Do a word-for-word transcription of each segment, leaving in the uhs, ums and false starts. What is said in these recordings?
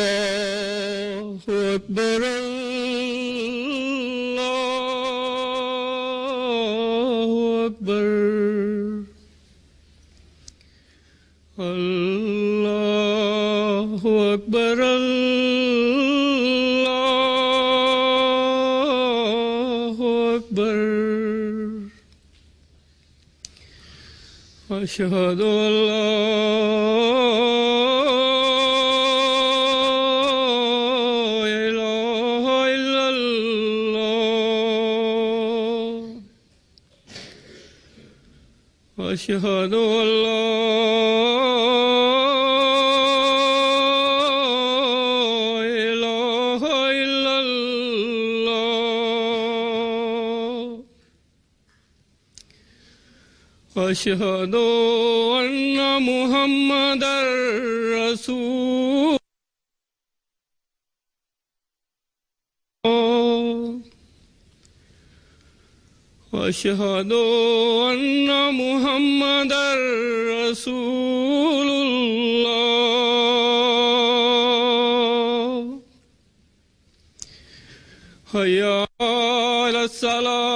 الله أكبر الله أكبر الله أكبر الله أكبر أشهد أن لا إله إلا الله أشهد أن لا أشهد أن محمدًا رسول الله أشهد أن محمدًا رسول الله حي على الصلاة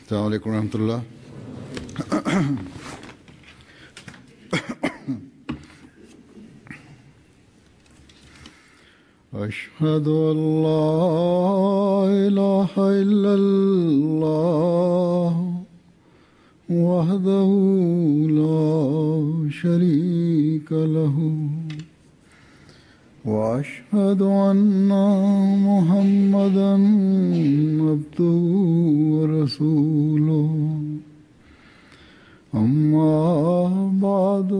السلام عليكم ورحمة الله. أشهد أن لا إله إلا الله وحده لا شريك له وأشهد أن محمدًا عبده ورسوله أما بعد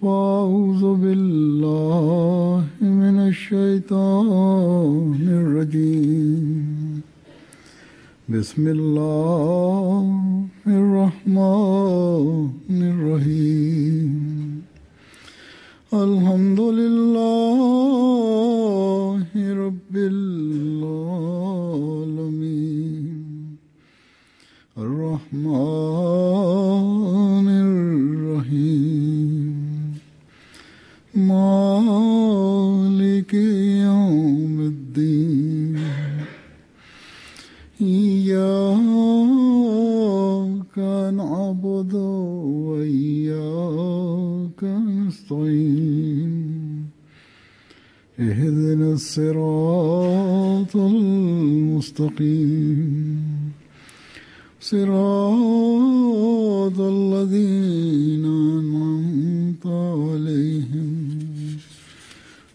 فأعوذ بالله من الشيطان الرجيم بسم الله الرحمن الرحيم الحمد لله رب العالمين الرحمن الرحيم مالك يوم الدين إياك نعبد وإياك نستعين اهدنا الصراط المستقيم صراط الذين أنعمت عليهم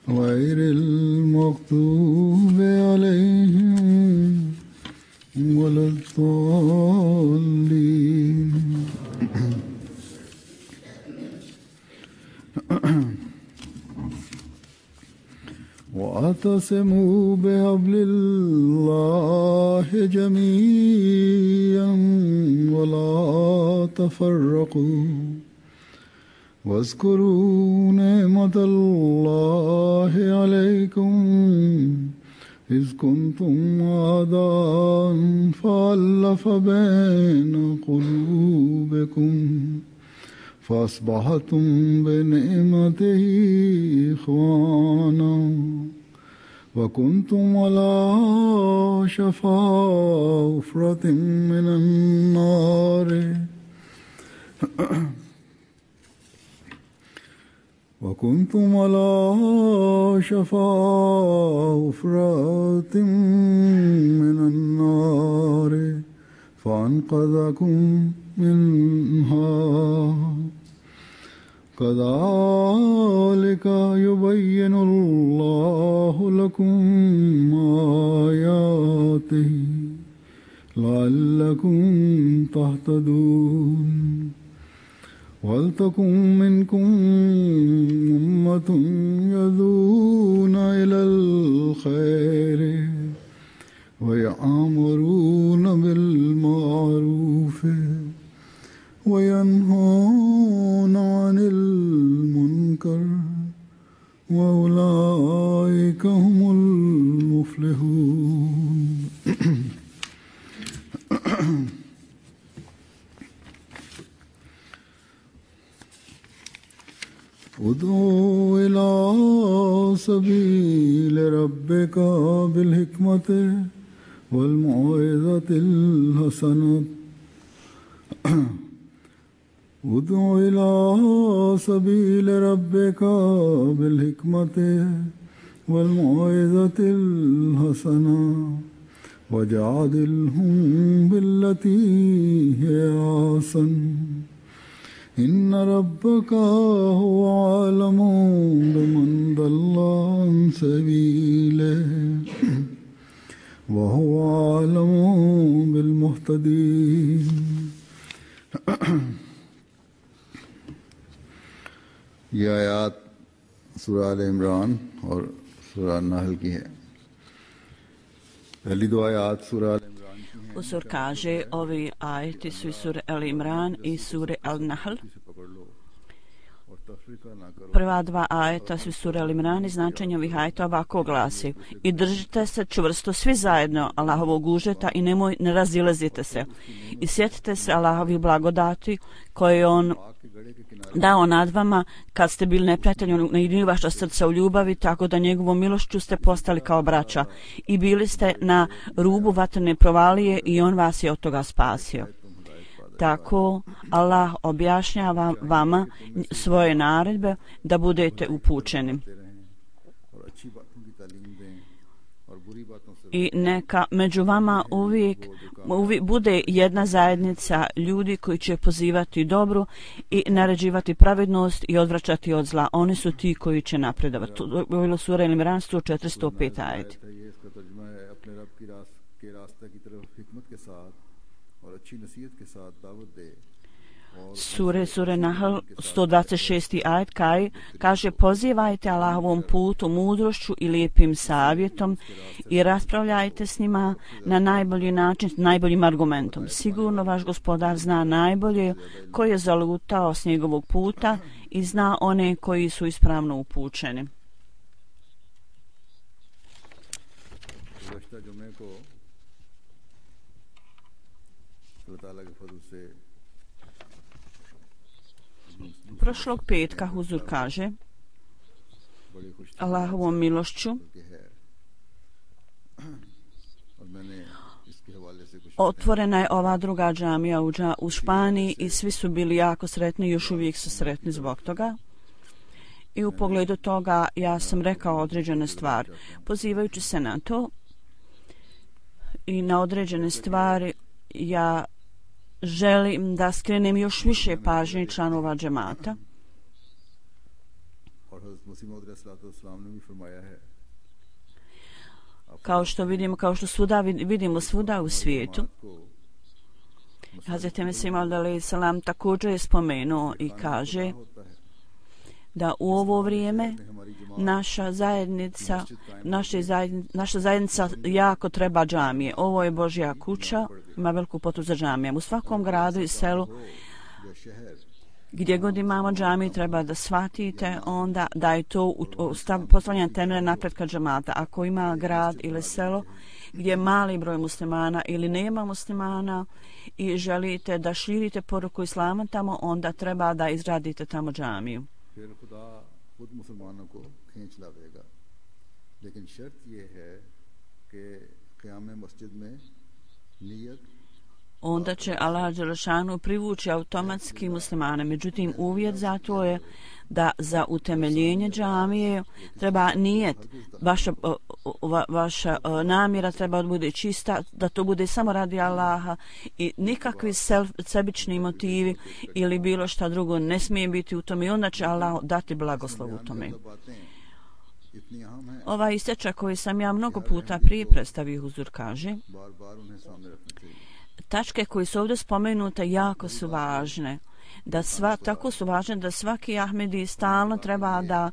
غير المغضوب عليهم ولا الضالين. واعتصموا بحبل الله جميعا ولا تفرقوا واذكروا نعمة الله عليكم إذ كنتم أعداء فألف بين قلوبكم فأصبحتم بنعمته إخوانا وكنتم على شفا حفرة من النار وكنتم على شفا حفرة من النار فأنقذكم منها كذلك يبين الله لكم آياته لعلكم تهتدون ولتكن منكم أمة يدعون إلى الخير ويأمرون بالمعروف وينهون عن المنكر وأولئك هم المفلحون. ادعو إلى سبيل ربك بالحكمة والموعظة الحسنة ادع إلى سبيل ربك بالحكمة والموعظة الحسنة وجادلهم بالتي هي أحسن إن ربك هو أعلم بمن ضل عن سبيله وهو أعلم بالمهتدين. ये आयात सूरह आल इमरान और सूरह नहल की है. पहली दो आयात सूरह आल इमरान की हैं. Usur kaže, ovi ajeti su iz sure Al Imran i sure Al Nahl. Prva dva ajeta su iz sure Al Imran i značenje ovih ajeta ovako glasi: i držite se čvrsto svi zajedno Allahovog užeta i nemoj, ne razilazite se. I sjetite se Allahovih blagodati koje je On dao nad vama kad ste bili neprijatelji, on ujedinio vaša srca u ljubavi, tako da njegovom milošću ste postali kao braća i bili ste na rubu vatrene provalije i on vas je od toga spasio. Tako Allah objašnjava vama svoje naredbe da budete upućeni. I neka među vama uvijek, uvijek bude jedna zajednica ljudi koji će pozivati dobru i naređivati pravednost i odvraćati od zla. Oni su ti koji će napredovati. To je bilo sura Al Imran sto četiri sto pet ajet. Sure, sure Nahl sto dvadeset šest ajet kaj, kaže: pozivajte Allahovom putu mudrošću i lijepim savjetom i raspravljajte s njima na najbolji način, s najboljim argumentom. Sigurno vaš gospodar zna najbolje ko je zalutao s njegovog puta i zna one koji su ispravno upućeni. Prošlog petka Huzur kaže: Allahovom milošću otvorena je ova druga džamija u Španiji i svi su bili jako sretni i još uvijek su sretni zbog toga. I u pogledu toga ja sam rekao određene stvari. Pozivajući se na to i na određene stvari, ja želim da skrenem još više pažnje članova džemata. Kao što vidimo, kao što svuda vidimo svuda u svijetu, Hazreti Mesih Maud alejhi selam također je spomenuo i kaže da u ovo vrijeme naša zajednica, naša zajednica, naša zajednica jako treba džamije. Ovo je Božja kuća, ima veliku potrebu za džamijama. U svakom gradu i selu gdje god imamo džamiju treba da shvatite onda da je to postavljanje temelja napretka džamata. Ako ima grad ili selo gdje je mali broj muslimana ili nema muslimana i želite da širite poruku islama tamo, onda treba da izradite tamo džamiju. Onda će Allah dželešanu privući automatski muslimane. Međutim, uvjet za to je da za utemeljenje džamije treba nijet, vaša, va, vaša namjera treba da bude čista, da to bude samo radi Allaha i nikakvi self, sebični motivi ili bilo šta drugo ne smije biti u tome i onda će Allah dati blagoslov u tome. Ova isteča koju sam ja mnogo puta prije predstavio huzur kaže, tačke koje su ovdje spomenute jako su važne. Da sva, tako su važne da svaki Ahmedi stalno treba da,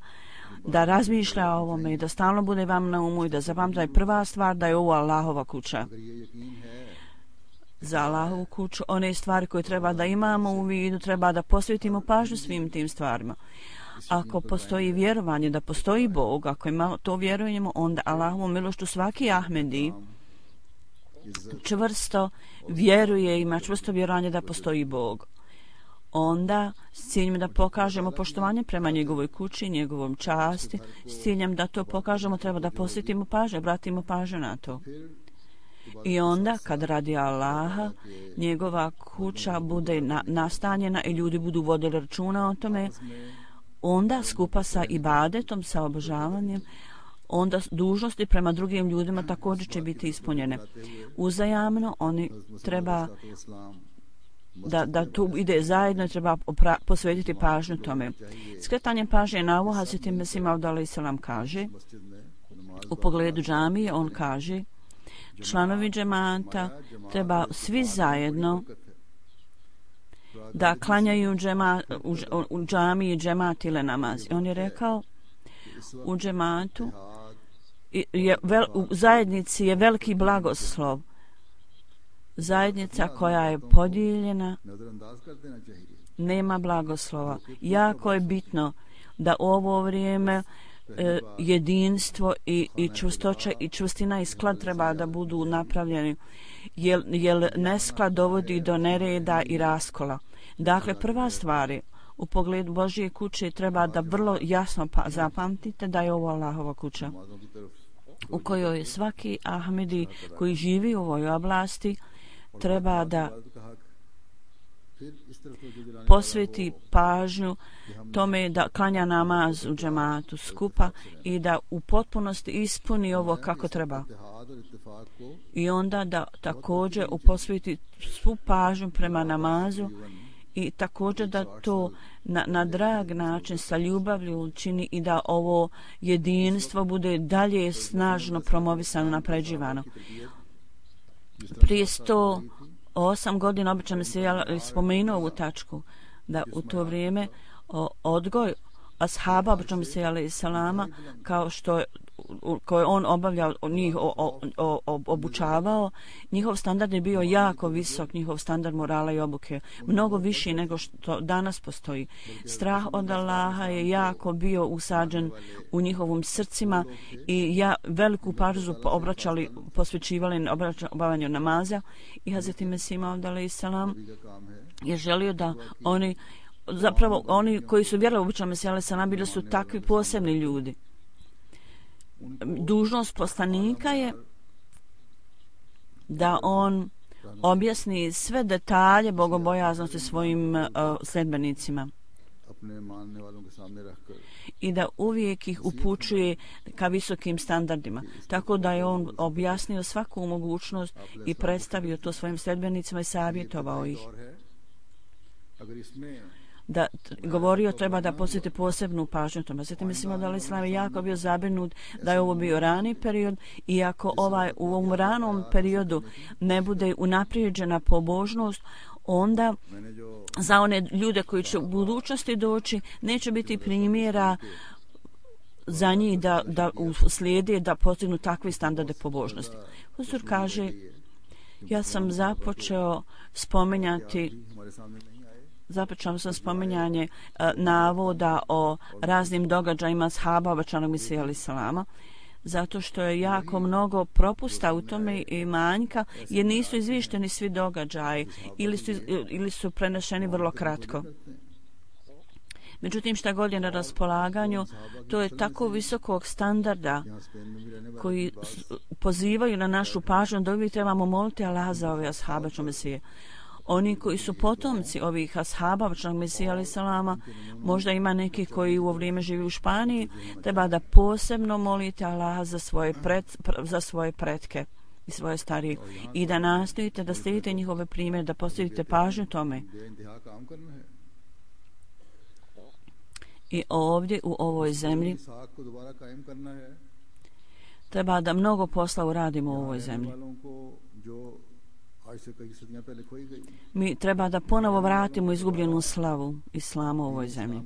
da razmišlja o ovome i da stalno bude vam na umu i da zapamti da je prva stvar da je ovo Allahova kuća. Za Allahovu kuću one stvari koje treba da imamo u vidu, treba da posvetimo pažnju svim tim stvarima. Ako postoji vjerovanje da postoji Bog, ako ima to vjerujemo, onda Allahovu milošću svaki Ahmedi čvrsto vjeruje, ima čvrsto vjerovanje da postoji Bog. Onda s ciljem da pokažemo poštovanje prema njegovoj kući, njegovom časti, s ciljem da to pokažemo treba da posvetimo pažnju, obratimo pažnju na to. I onda kad radi Allaha, njegova kuća bude na, nastanjena i ljudi budu vodili računa o tome, onda skupa sa ibadetom, sa obožavanjem, onda dužnosti prema drugim ljudima također će biti ispunjene. Uzajamno oni treba da, da tu ide zajedno i treba opra, posvetiti pažnju tome. Skretanje pažnje na ovo Hazreti Mesih Maud alejhi selam kaže u pogledu džamije, on kaže članovi džemata treba svi zajedno da klanjaju džema, u, u džamiji džemat ili namaz. On je rekao u džematu je, vel, u zajednici je veliki blagoslov. Zajednica koja je podijeljena nema blagoslova. Jako je bitno da u ovo vrijeme e, jedinstvo i, i čvrstoća i čvrstina i sklad treba da budu napravljeni, jer, jer nesklad dovodi do nereda i raskola. Dakle, prva stvar je u pogledu Božje kuće treba da vrlo jasno pa, zapamtite da je ovo Allahova kuća u kojoj je svaki Ahmedi koji živi u ovoj oblasti treba da posveti pažnju tome da klanja namaz u džematu skupa i da u potpunosti ispuni ovo kako treba. I onda da također posveti svu pažnju prema namazu i također da to na, na drag način sa ljubavlju učini i da ovo jedinstvo bude dalje snažno promovisano, napređivano. Prije sto osam godina obično mi se ja spomenuo ovu tačku da u to vrijeme o, odgoj ashaba obično mi se alejhi salama kao što je koje on obavljao, njih o, o, o, o, obučavao, njihov standard je bio jako visok, njihov standard morala i obuke, mnogo viši nego što danas postoji. Strah od Allaha je jako bio usađen u njihovim srcima i ja veliku pažnju obraćali, posvećivali obavljanju namaza i Hazreti Mesih Maud alejhi selam je želio da oni, zapravo oni koji su vjerovali u običan Mesih alejhi selam bili su takvi posebni ljudi. Dužnost poslanika je da on objasni sve detalje bogobojaznosti svojim uh, sledbenicima i da uvijek ih upućuje ka visokim standardima. Tako da je on objasnio svaku mogućnost i predstavio to svojim sledbenicima i savjetovao ih. Da govorio treba da posjeti posebnu pažnju tome. Zatim mislimo da Islam je jako bio zabrinut da je ovo bio rani period i ako ovaj, u ovom ranom periodu ne bude unaprijeđena pobožnost, onda za one ljude koji će u budućnosti doći neće biti primjera za njih da, da slijede da postignu takve standarde pobožnosti. Huzur kaže, ja sam započeo spominjati započeo sam spominjanje uh, navoda o raznim događajima ashaba obećanog Mesija alejhi selama, zato što je jako mnogo propusta u tome i manjka, jer nisu izvišteni svi događaji ili su, ili su prenešeni vrlo kratko. Međutim, šta god je na raspolaganju, to je tako visokog standarda koji pozivaju na našu pažnju da uvijek trebamo moliti Allaha za ove ashabe Mesije. Oni koji su potomci ovih ashaba obećanog Mesija alejhi selama, možda ima neki koji u ovo vrijeme živi u Španiji, treba da posebno molite Allaha za svoje, pred, za svoje pretke i svoje starije i da nastojite da slijedite njihove primjere, da postavite pažnju tome. I ovdje u ovoj zemlji treba da mnogo posla uradimo u ovoj zemlji. Mi treba da ponovo vratimo izgubljenu slavu islama u ovoj zemlji.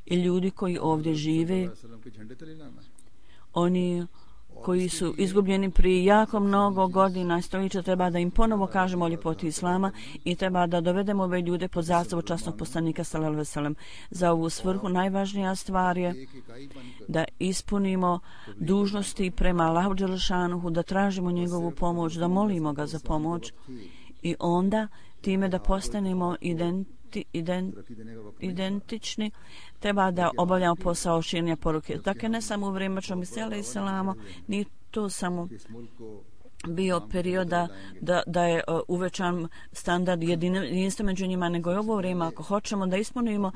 I ljudi koji ovdje žive, oni koji su izgubljeni prije jako mnogo godina stoljeća, treba da im ponovo kažemo o ljepoti islama i treba da dovedemo ove ljude pod zastavu časnog poslanika sallallahu alejhi ve sellem. Za ovu svrhu najvažnija stvar je da ispunimo dužnosti prema Allahu dželešanuhu, da tražimo njegovu pomoć, da molimo ga za pomoć i onda time da postanemo identični Ident, identični, treba da obavljamo posao širenja poruke. Dakle, ne samo u vrijeme Mesija alejhi selama, ni to samo bio perioda da, da je uh, uvećan standard jedinstva među njima, nego je ovo vrijeme, ako hoćemo da ispunimo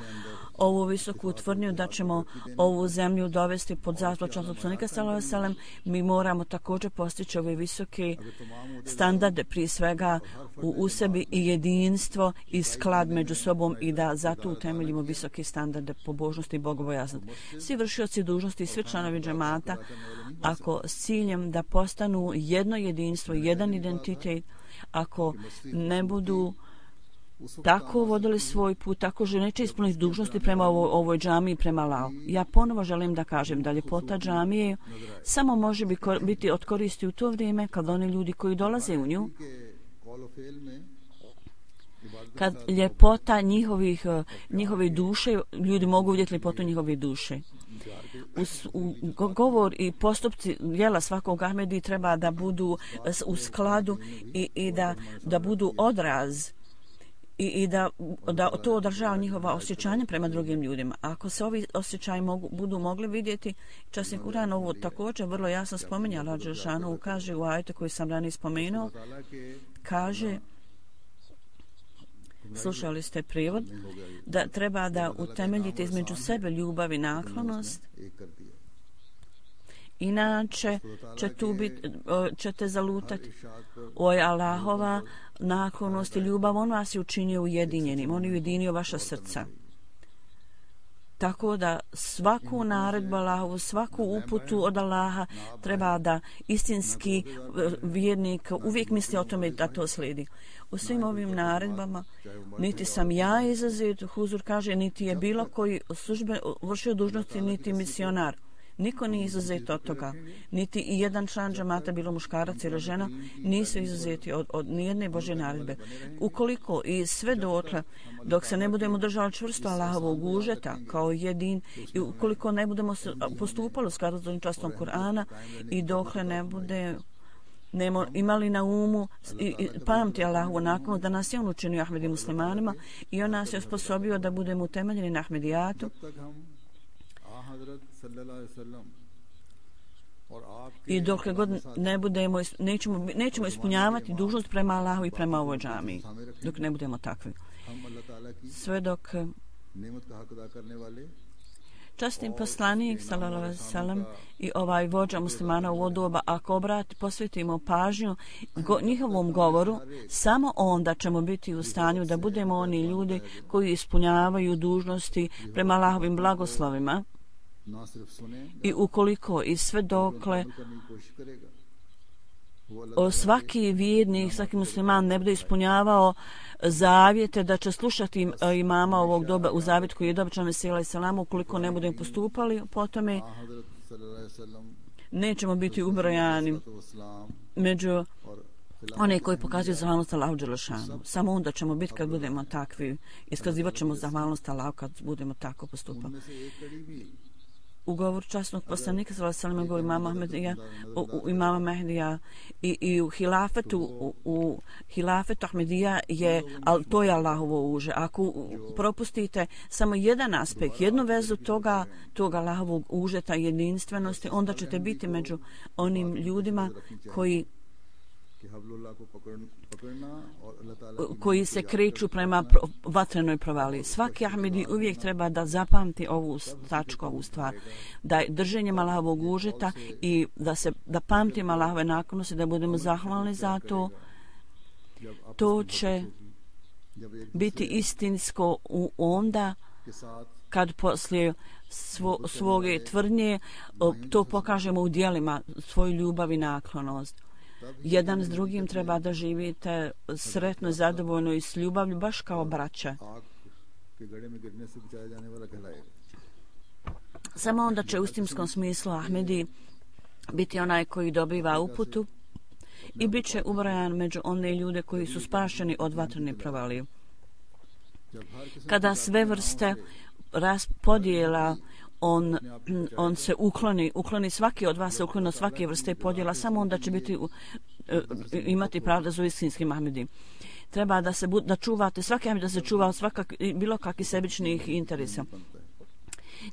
ovu visoku tvrdnju da ćemo ovu zemlju dovesti pod zastavu časnog poslanika sallallahu alejhi ve sellem, mi moramo također postići ove visoke standarde, prije svega u, u sebi i jedinstvo i sklad među sobom i da zato utemeljimo visoke standarde pobožnosti i bogobojaznosti. Svi vršioci dužnosti i svi članovi džemata, ako s ciljem da postanu jedno jedinstvo, jedan identitet, ako ne budu tako vodili svoj put, tako že neće ispuniti dužnosti prema ovoj, ovoj džamiji, prema Allahu. Ja ponovo želim da kažem da ljepota džamije samo može biti od koristi u to vrijeme kad oni ljudi koji dolaze u nju, kad ljepota njihovih, njihove duše, ljudi mogu vidjeti ljepotu njihove duše. U, u, govor i postupci djela svakog Ahmedi treba da budu u skladu i, i da, da budu odraz i, i da, da to održava njihova osjećanja prema drugim ljudima. Ako se ovi osjećaji mogu, budu mogli vidjeti, časni Kur'an ovo također vrlo jasno spominja, Allah dželešanu kaže u ajetu koji sam ranije spomenuo, kaže, slušali ste prijevod, da treba da utemeljite između sebe ljubav i naklonost, inače će tu biti, ćete zalutati. Oj, Allahova naklonost i ljubav, on vas je učinio ujedinjenim, on je ujedinio vaša srca. Tako da svaku naredbu Allahovu, svaku uputu od Allaha treba da istinski vjernik uvijek misli o tome da to slijedi. U svim ovim naredbama niti sam ja izuzet, Huzur kaže, niti je bilo koji službe vršio dužnosti, niti misionar. Niko nije izuzet od toga. Niti i jedan član džamata, bilo muškarac ili žena, nisu izuzeti od, od nijedne Božje naredbe. Ukoliko i sve dotle, dok se ne budemo držali čvrsto Allahovog užeta kao jedin i ukoliko ne budemo postupali u skladu s častom Kur'ana i dokle ne bude nemo imali na umu i, i pamti Allahu nakon da nas je on učinio Ahmedi muslimanima i on nas je osposobio da budemo utemeljeni na Ahmedijatu, i dokle god ne budemo, nećemo, nećemo ispunjavati dužnost prema Allahu i prema ovoj džamiji, dok ne budemo takvi. Sve dok časni poslanik sallallahu alejhi ve sellem i ovaj vođa muslimana u ovo doba, ako obrati, posvetimo pažnju go, njihovom govoru, samo onda ćemo biti u stanju da budemo oni ljudi koji ispunjavaju dužnosti prema Allahovim blagoslovima. I ukoliko i sve dokle o svaki vjernik, svaki musliman ne bude ispunjavao zavjete da će slušati imama ovog doba u zavjet koji je dobičan Mesija alejhi selam, ukoliko ne budemo postupali po tome, nećemo biti ubrojani među One koji pokazuju zahvalnost Allahu dželešanu. Samo onda ćemo biti kad budemo takvi. Iskazivat ćemo zahvalnost Allahu kad budemo tako postupali. U govoru časnog poslanika sallallahu alejhi ve sellem imama Ahmedija, u, u imama Mehdija i, i u hilafetu u, u hilafetu Ahmedija je, al to je Allahovo uže. Ako propustite samo jedan aspekt, jednu vezu toga, toga Allahovog užeta jedinstvenosti, onda ćete biti među onim ljudima koji koji se kreću prema vatrenoj provaliji. Svaki Ahmedi uvijek treba da zapamti ovu tačku, ovu stvar, da je drženjem Allahovog užeta i da se da pamtimo Allahove naklonosti, da budemo zahvalni za to. To će biti istinsko u onda kad poslije svo, svoje tvrdnje to pokažemo u djelima, svoju ljubav i naklonost. Jedan s drugim treba da živite sretno, zadovoljno i s ljubavlju, baš kao braća. Samo onda će u istimskom smislu Ahmedi biti onaj koji dobiva uputu i bit će ubrajan među one ljude koji su spašeni od vatrene provalije. Kada sve vrste raspodjela On, on se ukloni, ukloni svaki od vas se ukloni od svake vrste podjela, samo onda će biti, imati pravda za istinskim Ahmedi. Treba da se da čuvate, svaki Ahmed da se čuva od svakak, bilo kakvih sebičnih interesa.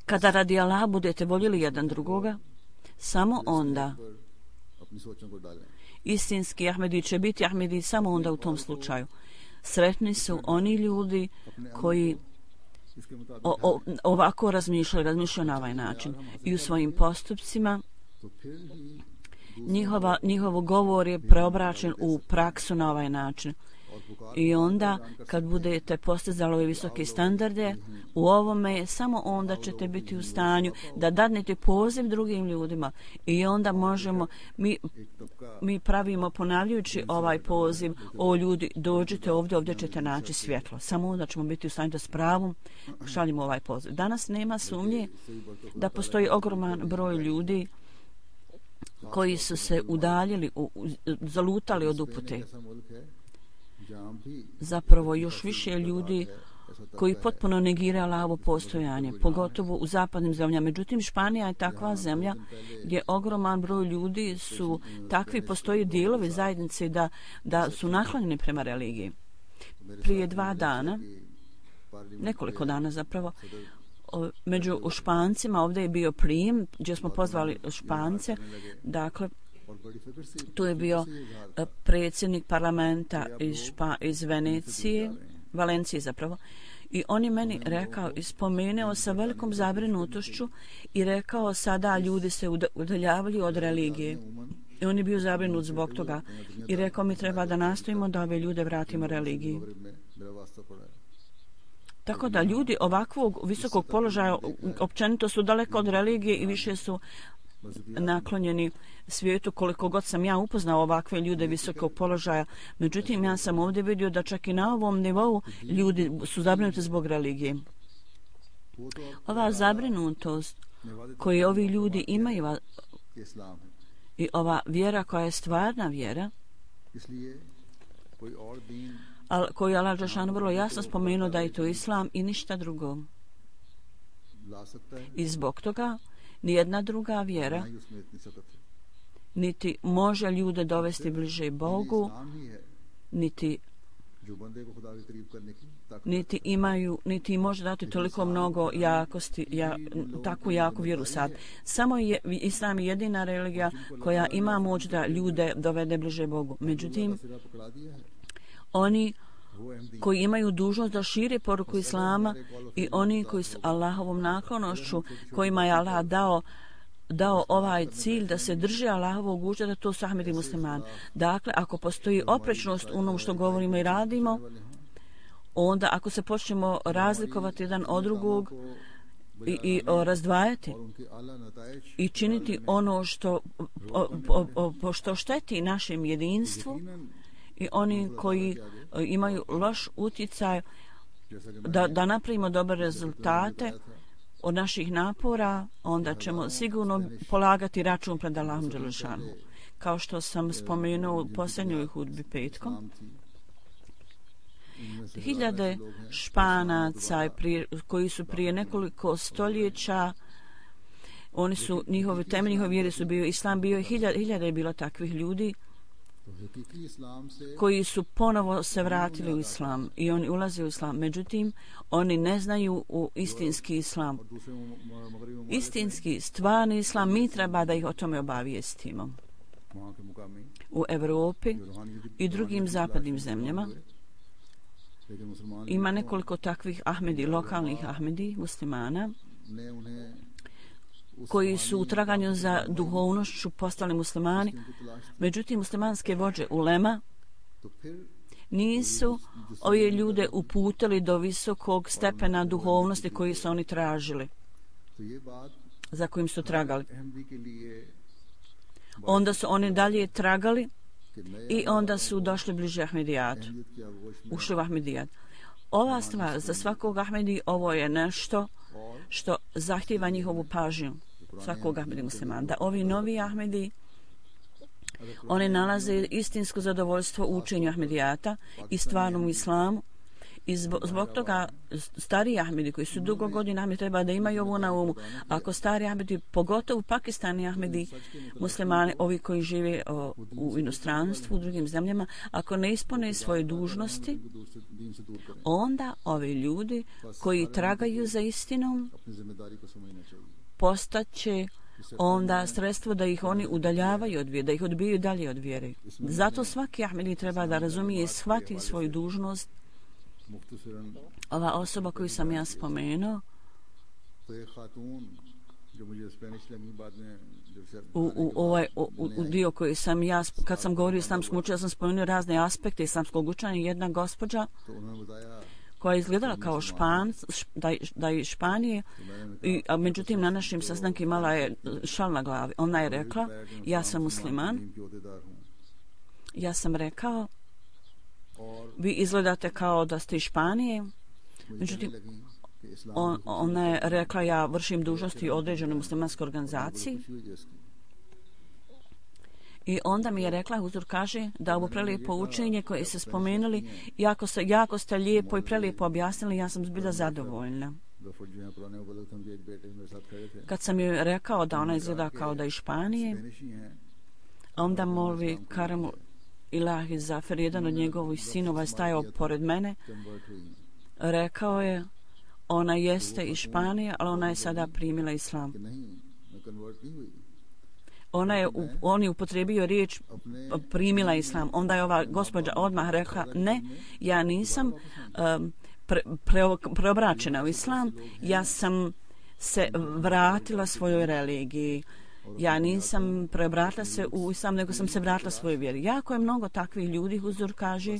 Kada radi Allah budete voljeli jedan drugoga, samo onda istinski Ahmedi će biti Ahmedi samo onda u tom slučaju. Sretni su oni ljudi koji O, o, ovako razmišljaju, razmišljaju na ovaj način i u svojim postupcima njihova, njihov govor je preobraćen u praksu na ovaj način. I onda kad budete postizali ove visoke standarde u ovome, samo onda ćete biti u stanju da dadnete poziv drugim ljudima i onda možemo mi, mi pravimo ponavljajući ovaj poziv: o ljudi, dođite ovdje, ovdje ćete naći svjetlo. Samo onda ćemo biti u stanju da s pravom šaljimo ovaj poziv. Danas nema sumnje da postoji ogroman broj ljudi koji su se udaljili, u, u, zalutali od upute. Zapravo još više ljudi koji potpuno negiraju Allahovo postojanje, pogotovo u zapadnim zemljama. Međutim, Španija je takva zemlja gdje ogroman broj ljudi su takvi, postoji dijelovi zajednice da, da su naklonjeni prema religiji. Prije dva dana, nekoliko dana zapravo, među Špancima ovdje je bio prijem gdje smo pozvali Špance, dakle, tu je bio predsjednik parlamenta iz, Špa, iz Venecije, Valencije zapravo, i on je meni rekao i spomenuo sa velikom zabrinutošću i rekao: sada ljudi se udaljavaju od religije. I on je bio zabrinut zbog toga i rekao: mi treba da nastojimo da ove ljude vratimo religiji. Tako da ljudi ovakvog visokog položaja općenito su daleko od religije i više su naklonjeni svijetu. Koliko god sam ja upoznao ovakve ljude visokog položaja, međutim ja sam ovdje vidio da čak i na ovom nivou ljudi su zabrinuti zbog religije. Ova zabrinutost koju ovi ljudi imaju i ova vjera koja je stvarna vjera, koju je Allah dželešanu vrlo jasno spomenuo da je to islam i ništa drugo. I zbog toga nijedna druga vjera niti može ljude dovesti bliže Bogu, niti niti imaju, niti može dati toliko mnogo jakosti, ja, takvu jaku vjeru sad. Samo je islam jedina religija koja ima moć da ljude dovede bliže Bogu. Međutim, oni koji imaju dužnost da šire poruku islama i oni koji su Allahovom naklonošću, kojima je Allah dao dao ovaj cilj da se drže Allahovog užeta, to su Ahmedi muslimani. Dakle, ako postoji oprečnost u onom što govorimo i radimo, onda ako se počnemo razlikovati jedan od drugog i, i o, razdvajati i činiti ono što, o, o, o, što šteti našem jedinstvu, i oni koji imaju loš utjecaj da, da napravimo dobre rezultate od naših napora, onda ćemo sigurno polagati račun pred Allahom dželešanu. kao što sam spomenuo u posljednjoj hudbi petkom. Hiljade Španaca koji su prije nekoliko stoljeća, oni su, njihovi temelj njihove vjere su bio islam, bio je hiljade, hiljade je bilo takvih ljudi koji su ponovo se vratili u islam i oni ulaze u islam. Međutim, oni ne znaju u istinski islam. Istinski, stvarni islam, mi treba da ih o tome obavijestimo. U Evropi i drugim zapadnim zemljama ima nekoliko takvih Ahmedi, lokalnih Ahmedi, muslimana, koji su u traganju za duhovnošću postali muslimani. Međutim, muslimanske vođe ulema nisu ove ljude uputili do visokog stepena duhovnosti koji su oni tražili, za kojim su tragali. Onda su oni dalje tragali i onda su došli bliže Ahmedijatu, ušli u Ahmedijat. Ova stvar za svakog Ahmedi, ovo je nešto što zahtjeva njihovu pažnju svakog Ahmedi muslimana. Da ovi novi Ahmedi, oni nalaze istinsko zadovoljstvo u učenju Ahmedijata i stvarnom islamu. I zbog, zbog toga stari Ahmedi koji su dugo godina Ahmedi treba da imaju ovo na umu. Ako stari Ahmedi, pogotovo Pakistani Ahmedi, muslimani, ovi koji žive o, u inostranstvu, u drugim zemljama, ako ne ispune svoje dužnosti, onda ovi ljudi koji tragaju za istinom postaće onda sredstvo da ih oni udaljavaju od vjere, da ih odbijaju dalje od vjere. Zato svaki Ahmedi treba da razumije i shvati svoju dužnost. Ova osoba koju sam ja spomenuo u, u ovaj u, u dio koji sam ja, kad sam govorio islamskom učenju, ja sam spomenuo razne aspekte islamskog učenja. Jedna gospođa koja je izgledala kao Špan, da, da je Španije, i, a međutim na našim sastanku imala je šal na glavi. Ona je rekla, ja sam musliman. Ja sam rekao, vi izgledate kao da ste iz Španije. Međutim, on, ona je rekla, ja vršim dužnosti u određenoj muslimanskoj organizaciji. I onda mi je rekla, Huzur kaže da ovo prelijepo učenje koje ste spomenuli, jako, se, jako ste lijepo i prelijepo objasnili, ja sam zbilja zadovoljna. Kad sam joj rekao da ona izgleda kao da je iz Španije, onda molvi Karamu Ilahi Zafer, jedan od njegovih sinova, je stajao pored mene. Rekao je, ona jeste iz Španije, ali ona je sada primila islam. Ona je, on je upotrebio riječ primila islam. Onda je ova gospođa odmah rekla, ne, ja nisam um, pre, pre, preobraćena u islam, ja sam se vratila svojoj religiji. Ja nisam preobratila se u islam, nego sam se vratila svojoj vjeri. Jako je mnogo takvih ljudi, Huzur kaže,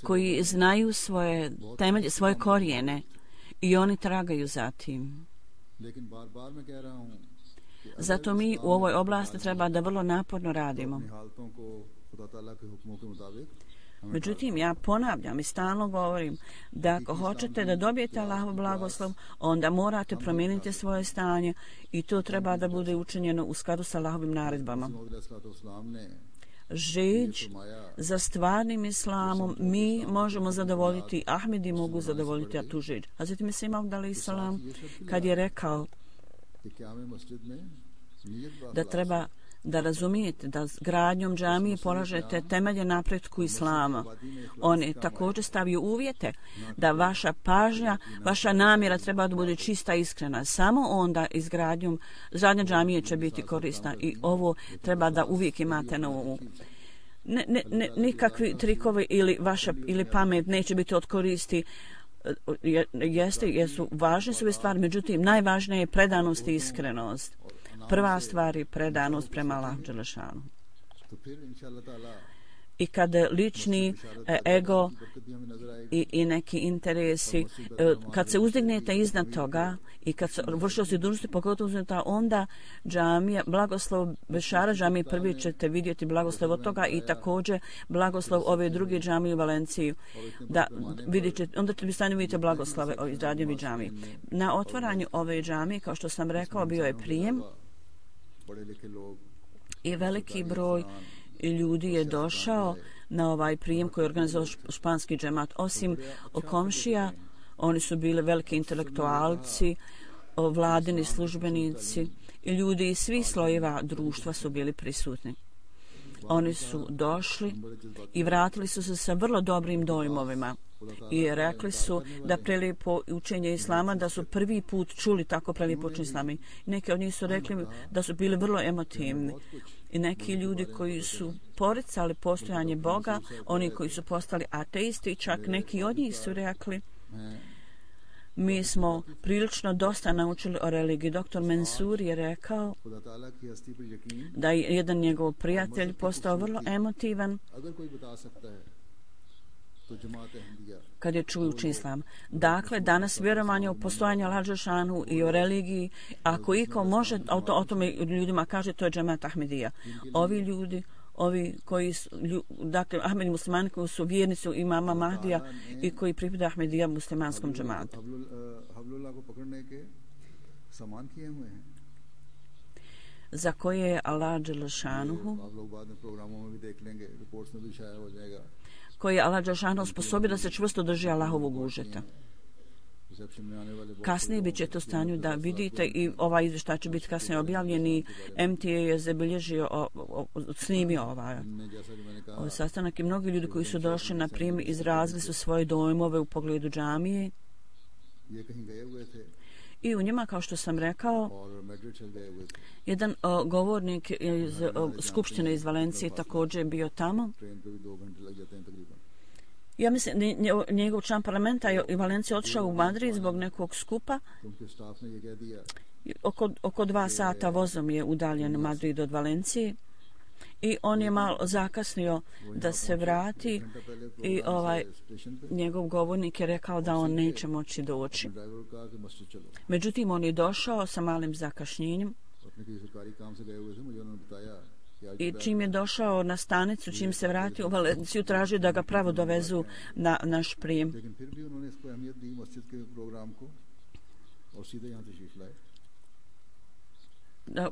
koji znaju svoje temelje, svoje korijene i oni tragaju za tim. Zato mi u ovoj oblasti treba da vrlo naporno radimo. Međutim, ja ponavljam i stalno govorim da ako hoćete da dobijete Allahov blagoslov, onda morate promijeniti svoje stanje i to treba da bude učinjeno u skladu sa Allahovim naredbama. Žeđ za stvarnim islamom mi možemo zadovoljiti, Ahmedi mogu zadovoljiti, a tu žeđ. Hazreti Mesih Maud alejhi selam kad je rekao da treba da razumijete da gradnjom džamije polažete temelje napretku islama. On je također stavio uvjete da vaša pažnja, vaša namjera treba da bude čista i iskrena. Samo onda izgradnjom zadnje džamije će biti korisna i ovo treba da uvijek imate na umu. Ne, ne, ne, nikakvi trikovi ili vaša ili pamet neće biti od koristi. Jeste, jesu važne su ove stvari, međutim najvažnije je predanost i iskrenost. Prva stvar je predanost prema Allahu dželešanu. I kad lični ego i, i neki interesi, kad se uzdignete iznad toga i kad se vršio si dužnosti, pogotovo uzdignete, onda džamija, blagoslov Bešara džamije prvi ćete vidjeti blagoslov od toga i također blagoslov ove druge džamije u Valenciji. Da vidjet ćete, onda ćete stanje vidite blagoslove o izradnjevi džamije. Na otvaranju ove džamije, kao što sam rekao, bio je prijem i veliki broj ljudi je došao na ovaj prijem koji je organizovao španski džemat. Osim komšija, oni su bili veliki intelektualci, vladini službenici i ljudi iz svih slojeva društva su bili prisutni. Oni su došli i vratili su se sa vrlo dobrim dojmovima i rekli su da prelijepo učenje islama, da su prvi put čuli tako prelijepo učenje islama. Neki od njih su rekli da su bili vrlo emotivni. I neki ljudi koji su poricali postojanje Boga, oni koji su postali ateisti, čak neki od njih su rekli: mi smo prilično dosta naučili o religiji. Doktor Mensur je rekao da je jedan njegov prijatelj postao vrlo emotivan kad je čuo učenje islama. Dakle, danas vjerovanje u postojanje Allaha dželešanu i o religiji, ako iko može o, to, o tome ljudima kaže, to je džemat Ahmedija. Ovi ljudi, ovi koji su, dakle, Ahmedi muslimani koji su vjernici imama Mahdija i koji pripada Ahmedija muslimanskom džematu. Za koje je Allah dželešanuhu koji je Allah dželešanuhu sposobio da se čvrsto drži Allahovog užeta. Kasnije bit ćete u stanju da vidite i ovaj izvještaj će biti kasnije objavljen i M T A je zabilježio, o, o, snimio ovaj, ovaj sastanak i mnogi ljudi koji su došli na prijem izrazili su svoje dojmove u pogledu džamije i u njima, kao što sam rekao, jedan o, govornik iz o, Skupštine iz Valencije također je bio tamo. Ja mislim, njegov član parlamenta je i Valencija otišao u Madrid zbog nekog skupa. Oko, oko dva sata vozom je udaljen Madrid od Valencije i on je malo zakasnio da se vrati i ovaj njegov govornik je rekao da on neće moći doći. Međutim, on je došao sa malim zakašnjenjem i čim je došao na stanicu, čim se vratio u Valenciju, tražio da ga pravo dovezu na naš prijem.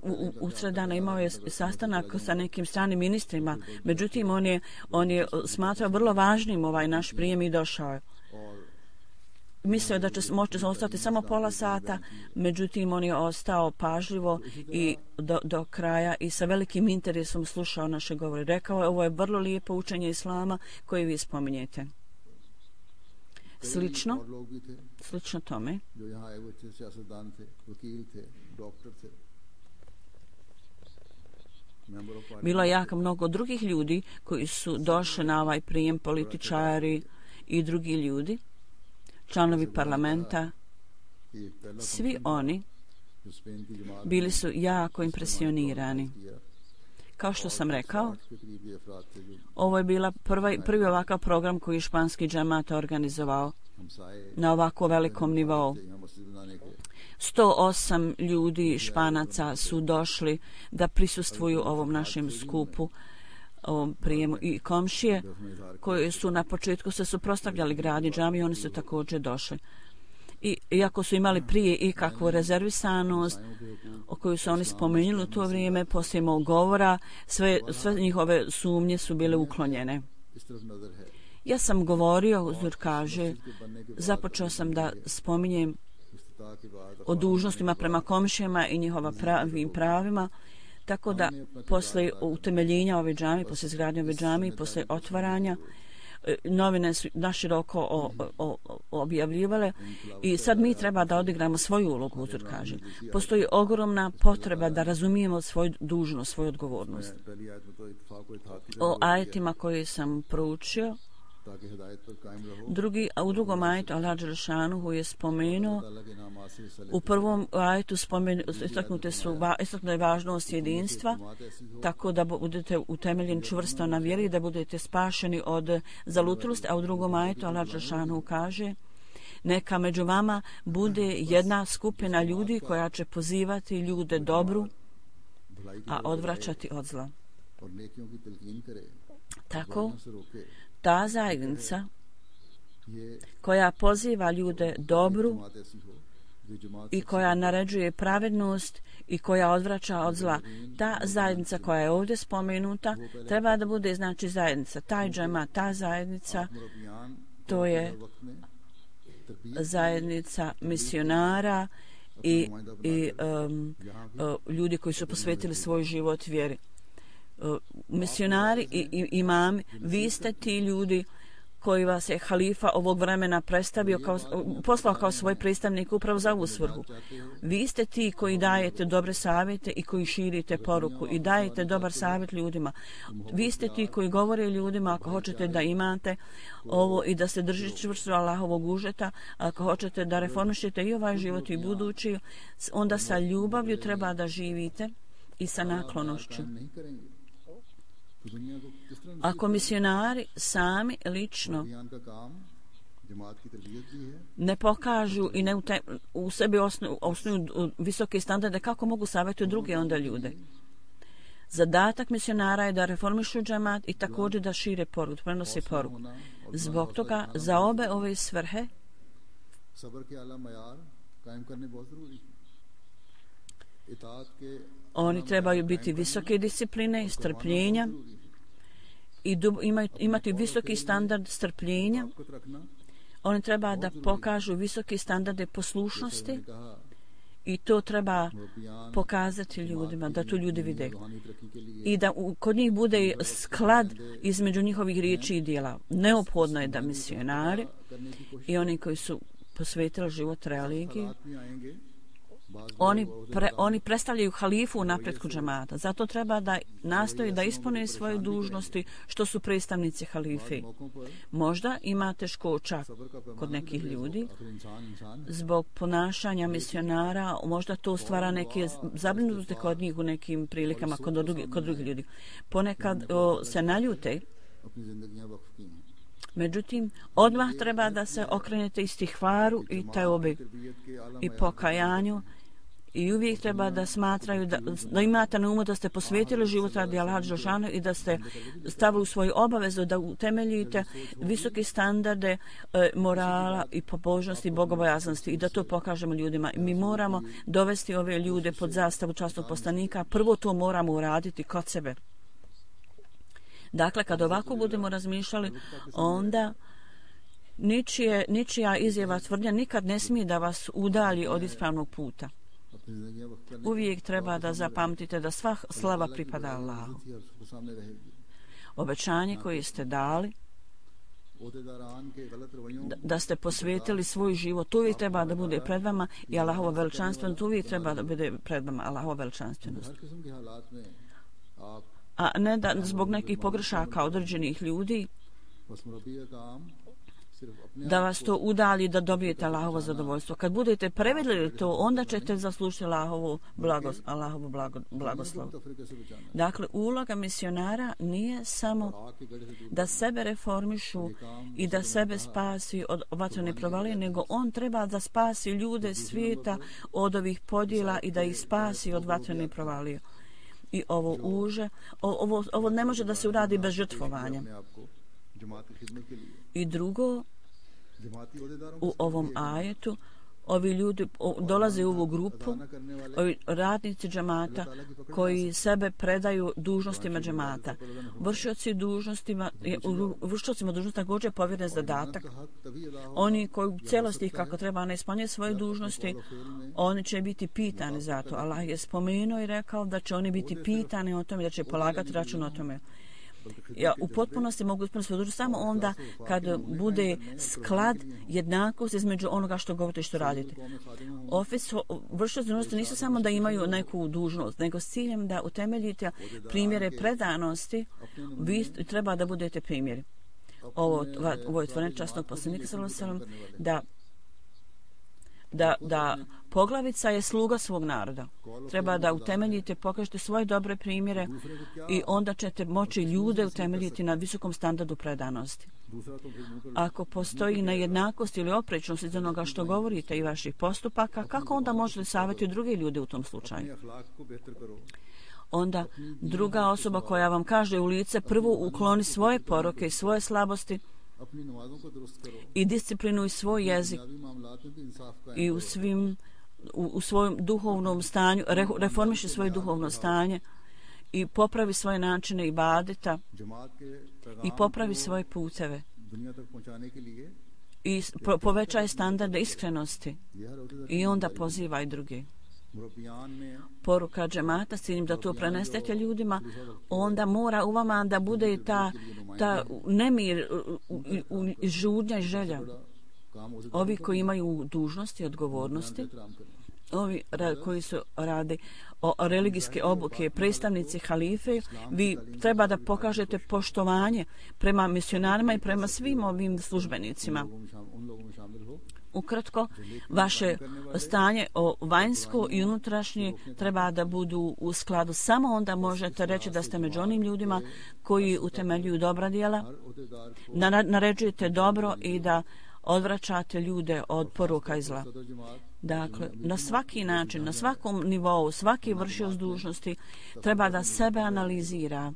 U, u, u sredana imao je sastanak sa nekim stranim ministrima, međutim on je, on je smatrao vrlo važnim ovaj naš prijem i došao je. Mislio da će moći ostati samo pola sata, međutim on je ostao pažljivo i do, do kraja i sa velikim interesom slušao naše govore. Rekao je, ovo je vrlo lijepo učenje islama koje vi spominjete. Slično, slično tome, bilo je jako mnogo drugih ljudi koji su došli na ovaj prijem, političari i drugi ljudi, članovi parlamenta. Svi oni bili su jako impresionirani. Kao što sam rekao, ovo je bila prva, prvi ovakav program koji je španski džemat organizovao na ovako velikom nivou. sto osam ljudi Španaca su došli da prisustvuju ovom našem skupu, ovom prijemu, i komšije koji su na početku se suprotstavljali gradnji džamije, oni su također došli. I iako su imali prije i kakvu rezervisanost o kojoj su oni spomenuli u to vrijeme, poslije mog govora, sve, sve njihove sumnje su bile uklonjene. Ja sam govorio, Uzur kaže, započeo sam da spominjem o dužnostima prema komšijama i njihova pravim pravima, tako da posle utemeljenja ove džamije, posle izgradnje ove džamije, posle otvaranja, novine su naširoko o, o, o, objavljivale i sad mi treba da odigramo svoju ulogu, Uzur kaže. Postoji ogromna potreba da razumijemo svoju dužnost, svoju odgovornost. O ajetima koje sam proučio, Drugi, a u drugom ajetu Allah dželešanuhu je spomenuo, u prvom ajetu istaknute su istaknute važnost jedinstva, tako da budete utemeljeni čvrsto na vjeri, da budete spašeni od zalutalosti, a u drugom ajetu Allah dželešanuhu kaže, neka među vama bude jedna skupina ljudi koja će pozivati ljude dobru, a odvraćati od zla. Tako, ta zajednica koja poziva ljude dobru i koja naređuje pravednost i koja odvraća od zla. Ta zajednica koja je ovdje spomenuta treba da bude znači zajednica. Taj džema, ta zajednica, to je zajednica misionara i, i um, uh, ljudi koji su posvetili svoj život vjeri. Uh, misionari i, i imami, vi ste ti ljudi koji vas je halifa ovog vremena predstavio kao, poslao kao svoj predstavnik upravo za ovu svrhu. Vi ste ti koji dajete dobre savjete i koji širite poruku i dajete dobar savjet ljudima. Vi ste ti koji govore ljudima ako hoćete da imate ovo i da se držite čvrsto Allahovog užeta, ako hoćete da reformišete i ovaj život i budući, onda sa ljubavlju treba da živite i sa naklonošću. Ako misionari sami lično ne pokažu i ne ute, u sebi osnuju, osnuju visoke standarde, kako mogu savjetovati druge onda ljude? Zadatak misionara je da reformišu džemat i također da šire poruku, prenose poruku. Zbog toga za obe ove svrhe oni trebaju biti visoke discipline i strpljenja i dub, imaju, imati visoki standard strpljenja. Oni treba da pokažu visoki standarde poslušnosti i to treba pokazati ljudima, da to ljudi vide. I da u, kod njih bude sklad između njihovih riječi i djela. Neophodno je da misionari i oni koji su posvetili život religiji, Oni, pre, oni predstavljaju halifu u napretku džemata. Zato treba da nastoji da ispune svoje dužnosti što su predstavnici halife. Možda ima teškoća kod nekih ljudi zbog ponašanja misionara, možda to stvara neke zabrinutosti kod njih u nekim prilikama kod, drugi, kod drugih ljudi. Ponekad o, se naljute. Međutim, odmah treba da se okrenete istihvaru i teobi i pokajanju i uvijek treba da smatraju da, da imate na umu da ste posvetili život radi Allaha dželešanu i da ste stavili u svoju obavezu da utemeljite visoke standarde e, morala i pobožnosti i bogobojaznosti i da to pokažemo ljudima. Mi moramo dovesti ove ljude pod zastavu časnog poslanika. Prvo to moramo uraditi kod sebe. Dakle, kad ovako budemo razmišljali, onda ničije, ničija izjava tvrdnja nikad ne smije da vas udalji od ispravnog puta. Uvijek treba da zapamtite da sva slava pripada Allahu. Obećanje koje ste dali, da, da ste posvetili svoj život, to uvijek treba da bude pred vama i Allahovo veličanstvenost, to uvijek treba da bude pred vama Allahovo veličanstvenost. A ne da zbog nekih pogrešaka određenih ljudi da vas to udalji da dobijete Allahovo zadovoljstvo. Kad budete prevedli to, onda ćete zaslužiti Allahovu blagos, Allahovu blago, blagoslov. Dakle, uloga misionara nije samo da sebe reformišu i da sebe spasi od vatrene provalije, nego on treba da spasi ljude svijeta od ovih podjela i da ih spasi od vatrene provalije. I ovo uže, ovo, ovo ne može da se uradi bez žrtvovanja. I drugo, u ovom ajetu, ovi ljudi dolaze u ovu grupu, ovi radnici džemata koji sebe predaju dužnostima džemata. Vršioci dužnostima, vršiocima dužnosti također je povjeren zadatak. Oni koji u cijelosti kako treba ne ispunjaju svoje dužnosti, oni će biti pitani za to. Allah je spomenuo i rekao da će oni biti pitani o tome, da će polagati račun o tome. Ja u potpunosti mogu ispuniti svoju dužnost samo onda kad bude sklad, jednakost između onoga što govorite i što radite. Ofis vršioci dužnosti nisu samo da imaju neku dužnost, nego s ciljem da utemeljite primjere predanosti, vi treba da budete primjeri. Ovo, ovo je tvoren časnog poslanika sallallahu alejhi ve sellem da Da, da poglavica je sluga svog naroda. Treba da utemeljite, pokažete svoje dobre primjere i onda ćete moći ljude utemeljiti na visokom standardu predanosti. Ako postoji nejednakost ili oprečnost iz onoga što govorite i vaših postupaka, kako onda možete savjetiti druge ljude u tom slučaju? Onda druga osoba koja vam kaže u lice, prvo ukloni svoje poroke i svoje slabosti i disciplinuj svoj jezik i u svim u, u svojom duhovnom stanju, re, reformiše svoje duhovno stanje i popravi svoje načine ibadeta i popravi svoje puteve i po, povećaje standarde iskrenosti i onda poziva i druge. Poruka džemata s ciljem da to prenesete ljudima, onda mora u vama da bude ta, ta nemir i žudnja i želja. Ovi koji imaju dužnosti i odgovornosti, ovi koji su radi o religijske obuke, predstavnici halife, vi treba da pokažete poštovanje prema misionarima i prema svim ovim službenicima. Ukratko, vaše stanje o vanjsko i unutrašnje treba da budu u skladu. Samo onda možete reći da ste među onim ljudima koji utemeljuju dobra djela, naređujete dobro i da odvraćate ljude od poruka i zla. Dakle, na svaki način, na svakom nivou, svaki vršioc dužnosti treba da sebe analizira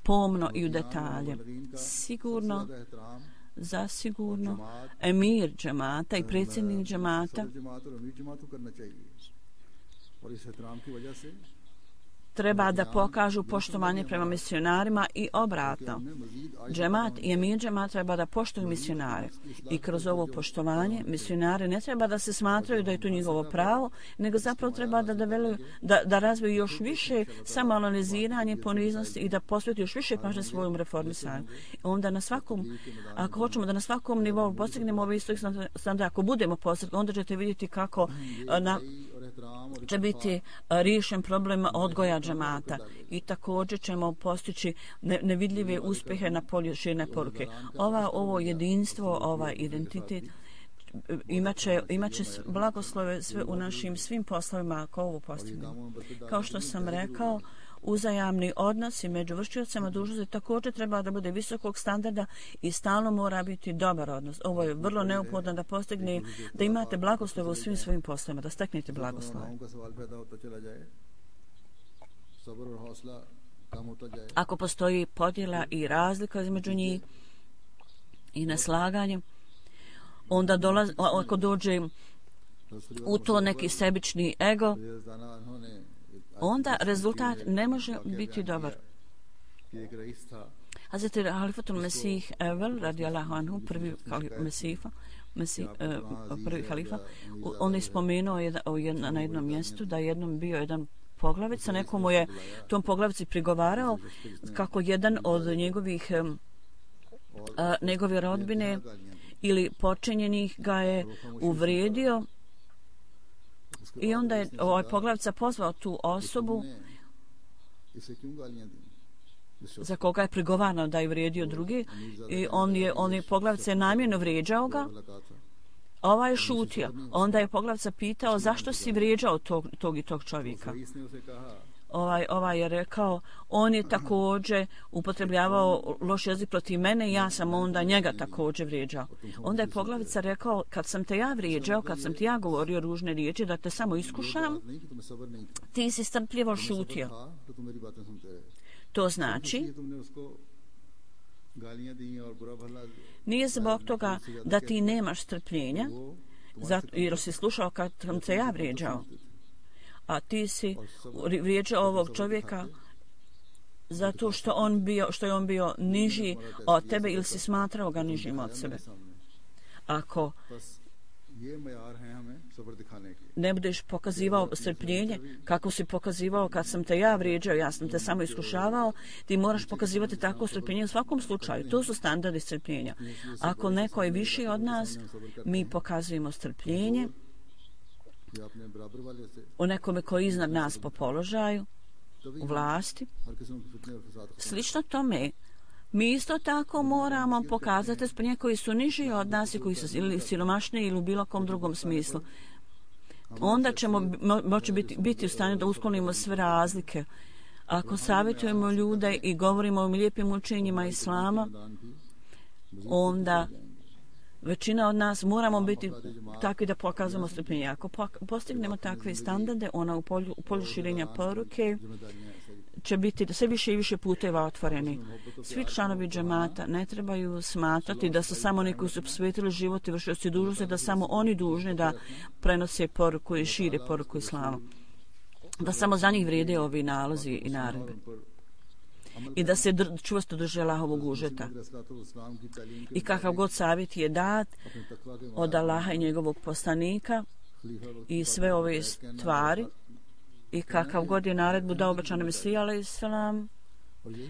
pomno i u detalje. Sigurno, zasigurno, emir džemata i predsjednik džemata treba da pokažu poštovanje prema misionarima i obratno. Džemat i emir džemat treba da poštuju misionare i kroz ovo poštovanje misionari ne treba da se smatraju da je to njihovo pravo, nego zapravo treba da, da, da, da razviju još više samoanaliziranje, poniznosti i da posveti još više pažnje svojom reformisanju. Onda na svakom, ako hoćemo da na svakom nivou postignemo ove istog standarda, ako budemo postigli, onda ćete vidjeti kako na će biti riješen problem odgoja džemata i također ćemo postići nevidljive uspjehe na polju širne poruke. Ova, ovo jedinstvo, ovaj identitet imaće, imaće blagoslove sve u našim svim poslovima ako ovo postignemo. Kao što sam rekao, uzajamni odnosi među vršiocima dužnosti također treba da bude visokog standarda i stalno mora biti dobar odnos. Ovo je vrlo neophodno da postigne, da imate blagoslove u svim svojim poslovima, da steknete blagoslove. Ako postoji podjela i razlika između njih i neslaganje, onda dolaz, ako dođe u to neki sebični ego, onda rezultat ne može biti dobar. Hazreti Halifatul Mesih Evel, radijallahu anhu, prvi mesifa, mesih, uh, prvi halifa, on je spomenuo jedna, jedna, na jednom mjestu da je jednom bio jedan poglavica, nekomu je tom poglavici prigovarao kako jedan od njegovih um, uh, njegove rodbine ili počinjenih ga je uvrijedio. I onda je ovaj poglavica pozvao tu osobu za koga je prigovarano da je vrijedio drugi i on je, on je poglavica je namjerno vrijeđao ga, a ovaj je šutio. Onda je poglavica pitao zašto si vrijeđao tog, tog i tog čovjeka. Ovaj, ovaj je rekao, on je također upotrebljavao loš jezik protiv mene i ja sam onda njega također vrijeđao. Onda je poglavica rekao, kad sam te ja vrijeđao, kad sam ti ja govorio ružne riječi, da te samo iskušam, ti si strpljivo šutio. To znači, nije zbog toga da ti nemaš strpljenja, zato, jer si slušao kad sam te ja vrijeđao. A ti si vrijeđao ovog čovjeka zato što, on bio, što je on bio niži od tebe ili si smatrao ga nižim od sebe. Ako ne budeš pokazivao strpljenje kako si pokazivao kad sam te ja vrijeđao, ja sam te samo iskušavao, ti moraš pokazivati tako strpljenje u svakom slučaju. To su standardi strpljenja. Ako neko je viši od nas, mi pokazujemo strpljenje o nekome koji je iznad nas po položaju, u vlasti. Slično tome, mi isto tako moramo pokazati strpljenje koji su niži od nas i koji su ili siromašniji ili u bilo kom drugom smislu. Onda ćemo mo- moći biti, biti u stanju da usklonimo sve razlike. Ako savjetujemo ljude i govorimo o lijepim učenjima Islama, onda većina od nas moramo biti takvi da pokazujemo strpljenje. Ako postignemo takve standarde, ona u polju, u polju širenja poruke će biti sve više i više puteva otvoreni. Svi članovi džemata ne trebaju smatrati da su samo oni koji su posvetili život i vršioci dužnosti, da samo oni dužni da prenose poruku i šire poruku islama. Da samo za njih vrijede ovi nalozi i naredbe. I da se dr- čvrsto drže Allahovog užeta. I kakav god savjet je dat od Allaha i njegovog poslanika i sve ove stvari, i kakav god je naredbu dao obećani Mesija alejhi selam,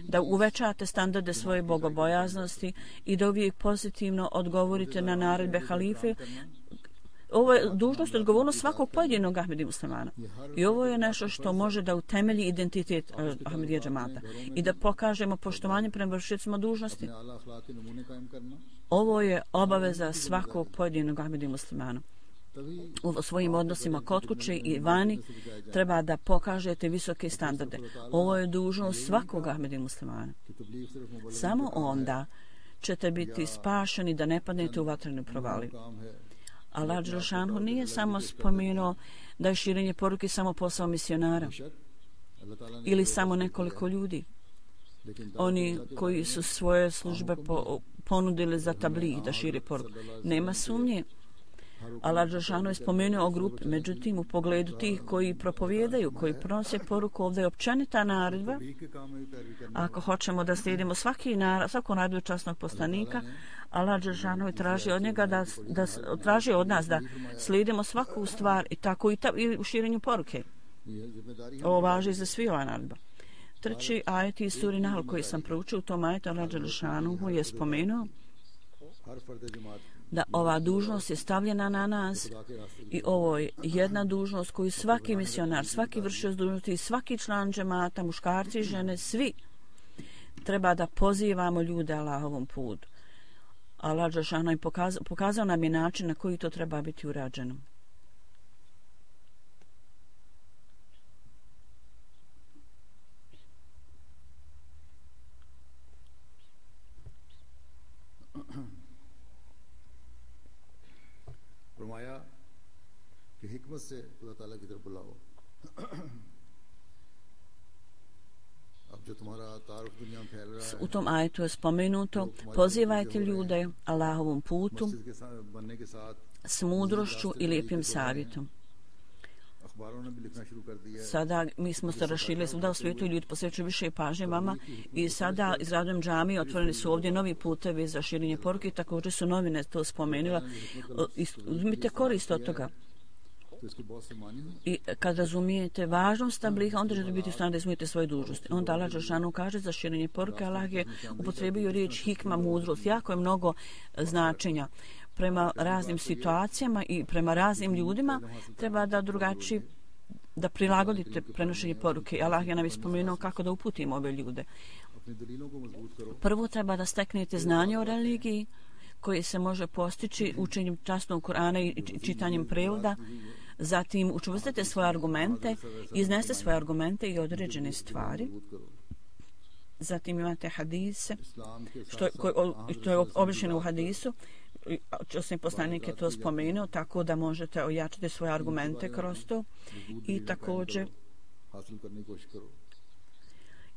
da uvećate standarde svoje bogobojaznosti i da uvijek pozitivno odgovorite na naredbe halife. Ovo je dužnost i odgovornost svakog pojedinog Ahmedi muslimana. I ovo je nešto što može da utemelji identitet uh, Ahmedija džemata i da pokažemo poštovanje prema vršiocima dužnosti. Ovo je obaveza svakog pojedinog Ahmedi muslimana. U svojim odnosima kod kuće i vani treba da pokažete visoke standarde. Ovo je dužnost svakog Ahmedi muslimana. Samo onda ćete biti spašeni da ne padnete u vatrenu provaliju. Allah dželešanu nije samo spomenuo da je širenje poruke samo posao misionara ili samo nekoliko ljudi. Oni koji su svoje službe po, ponudili za tabligh da šire poruku. Nema sumnje. Allah dželešanu je spomenuo o grupi, međutim u pogledu tih koji propovijedaju, koji pronose poruku, ovdje je općenita naredba. Ako hoćemo da slijedimo svaki narad, svaku naredbu časnog poslanika, Allah dželešanu je traži od njega da, da traži od nas da slijedimo svaku stvar i tako i, ta, i u širenju poruke. Ovo važi za svi ova naredba. Treći ajet iz suri Nahl koji sam proučio, u tom ajetu Allah dželešanu je spomenuo da ova dužnost je stavljena na nas i ovo je jedna dužnost koju svaki misionar, svaki vršioc dužnosti i svaki član džemata, muškarci i žene, svi treba da pozivamo ljude Allahovom putu. Allah dželešanu je pokazao, pokazao nam je način na koji to treba biti urađeno. फरमाया कि हिकमत से खुदा ताला की तरफ बुलाओ। अब जो तुम्हारा तारुफ दुनिया में फैल रहा है, U tom ajetu je spomenuto, pozivajte ljude Allahovom putu मस्जिद के साथ बनने के साथ s mudrošću i lijepim savjetom. अखबारों ने भी लिखना शुरू कर दिया है। Sada mi smo se raširili svuda u svijetu i ljudi posvećuju više pažnje vama i sada izradom džamije otvoreni su ovdje novi putevi za širenje poruke i također su novine to spomenula. Uzmite korist od toga. I kad razumijete važnost tabliha, onda ćete biti u stanju da izmijete svoje dužnosti. Onda Allah dželešanu kaže za širenje poruke, Allah je upotrebio riječ hikma, mudrost. Jako je mnogo značenja. Prema raznim situacijama i prema raznim ljudima treba da drugačiji da prilagodite prenošenje poruke. Allah je nam ispomenuo kako da uputimo ove ljude. Prvo treba da steknete znanje o religiji koje se može postići učenjem časnog Kur'ana i čitanjem prevoda. Zatim učvrstite svoje argumente, izneste svoje argumente i određene stvari. Zatim imate hadise, što, što je obrišeno u hadisu. Časni poslanik je to spomenuo, tako da možete ojačati svoje argumente kroz to. I također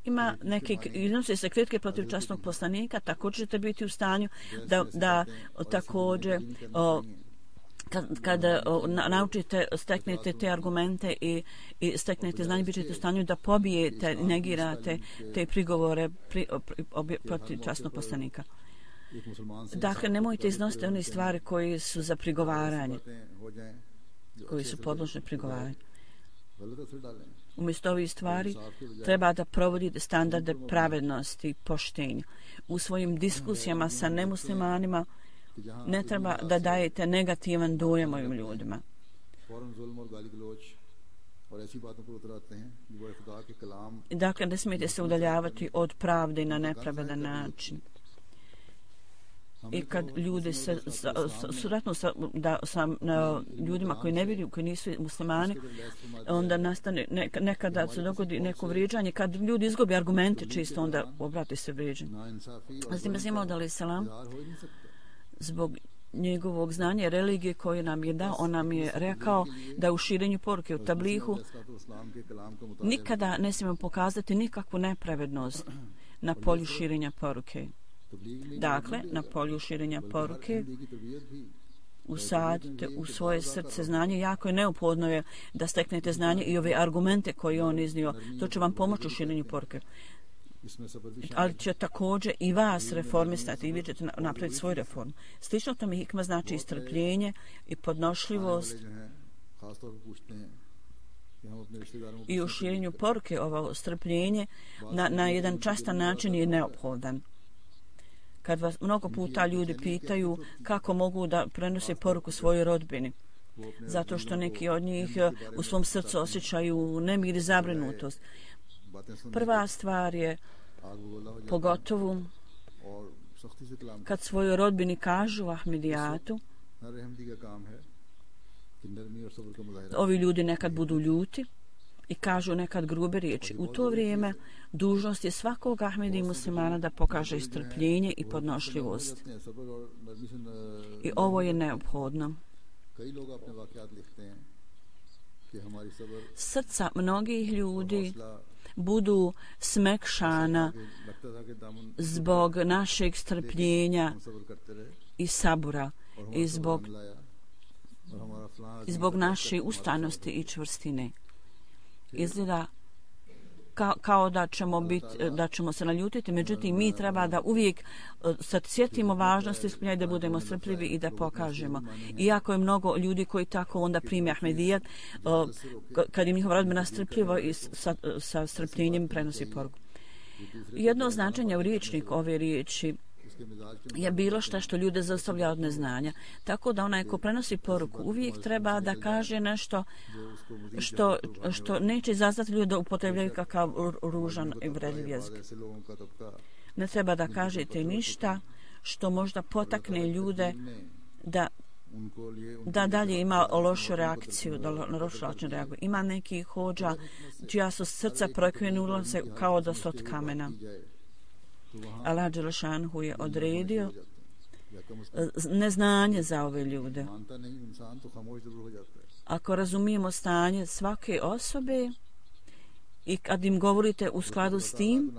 ima neke iznose se kritike protiv časnog poslanika, također ćete biti u stanju da, da također o, kad, kad o, na, naučite, steknete te argumente i, i steknete znanje, bit ćete u stanju da pobijete, negirate te prigovore pri, pri, obje, protiv časnog poslanika. Dakle, nemojte iznositi one stvari koje su za prigovaranje, koji su podložne prigovaranju. Umjesto ovih stvari treba da provodite standarde pravednosti i poštenja. U svojim diskusijama sa nemuslimanima ne treba da dajete negativan dojam ovim ljudima. Dakle, ne smijete se udaljavati od pravde na nepravedan način. I kad ljudi se suratno sa, da, sa na, ljudima koji ne vjeruju, koji nisu muslimani, onda nastane ne, nekada se dogodi neko vrijeđanje. Kad ljudi izgubi argumente čisto, onda obrati se vrijeđanje. Zatim je imao da li selam zbog njegovog znanja religije koje nam je dao, on nam je rekao da u širenju poruke u tablihu nikada ne smijemo pokazati nikakvu nepravednost na polju širenja poruke. Dakle, na polju širenja poruke usadite u svoje srce znanje. Jako je neophodno je da steknete znanje i ove argumente koje on iznio. To će vam pomoći u širenju poruke. Ali će također i vas reformistati i vi ćete napraviti svoju reformu. Slično tome hikma znači istrpljenje i podnošljivost i u širenju poruke ovo strpljenje na, na jedan častan način je neophodan. Kad vas mnogo puta ljudi pitaju kako mogu da prenose poruku svojoj rodbini, zato što neki od njih u svom srcu osjećaju nemir i zabrinutost. Prva stvar je, pogotovo kad svojoj rodbini kažu Ahmedijatu, ovi ljudi nekad budu ljuti i kažu nekad grube riječi. U to vrijeme dužnost je svakog Ahmedi muslimana da pokaže strpljenje i podnošljivost. I ovo je neophodno. Srca mnogih ljudi budu smekšana zbog našeg strpljenja i sabura i zbog, i zbog naše ustrajnosti i čvrstine. Izgleda kao, kao da ćemo biti, da ćemo se naljutiti, međutim mi treba da uvijek sad sjetimo važnosti ispunjanja, da budemo strpljivi i da pokažemo. Iako je mnogo ljudi koji tako onda prime Ahmedijat, kad im njihova rodbina strpljivo i sa, sa strpljenjem prenosi poruku. Jedno značenje u riječnik ove riječi je bilo šta što ljude zaustavlja od neznanja. Tako da onaj ko prenosi poruku uvijek treba da kaže nešto što, što neće izazvati ljude da upotrebljaju kakav ružan i uvredljiv jezik. Ne treba da kažete ništa što možda potakne ljude da da dalje ima lošu reakciju, da lošu način reaguju. Ima neki hođa čija su srca prokrenula se kao da su od kamena. Allah Đelešanhu je odredio neznanje za ove ljude. Ako razumijemo stanje svake osobe i kad im govorite u skladu s tim,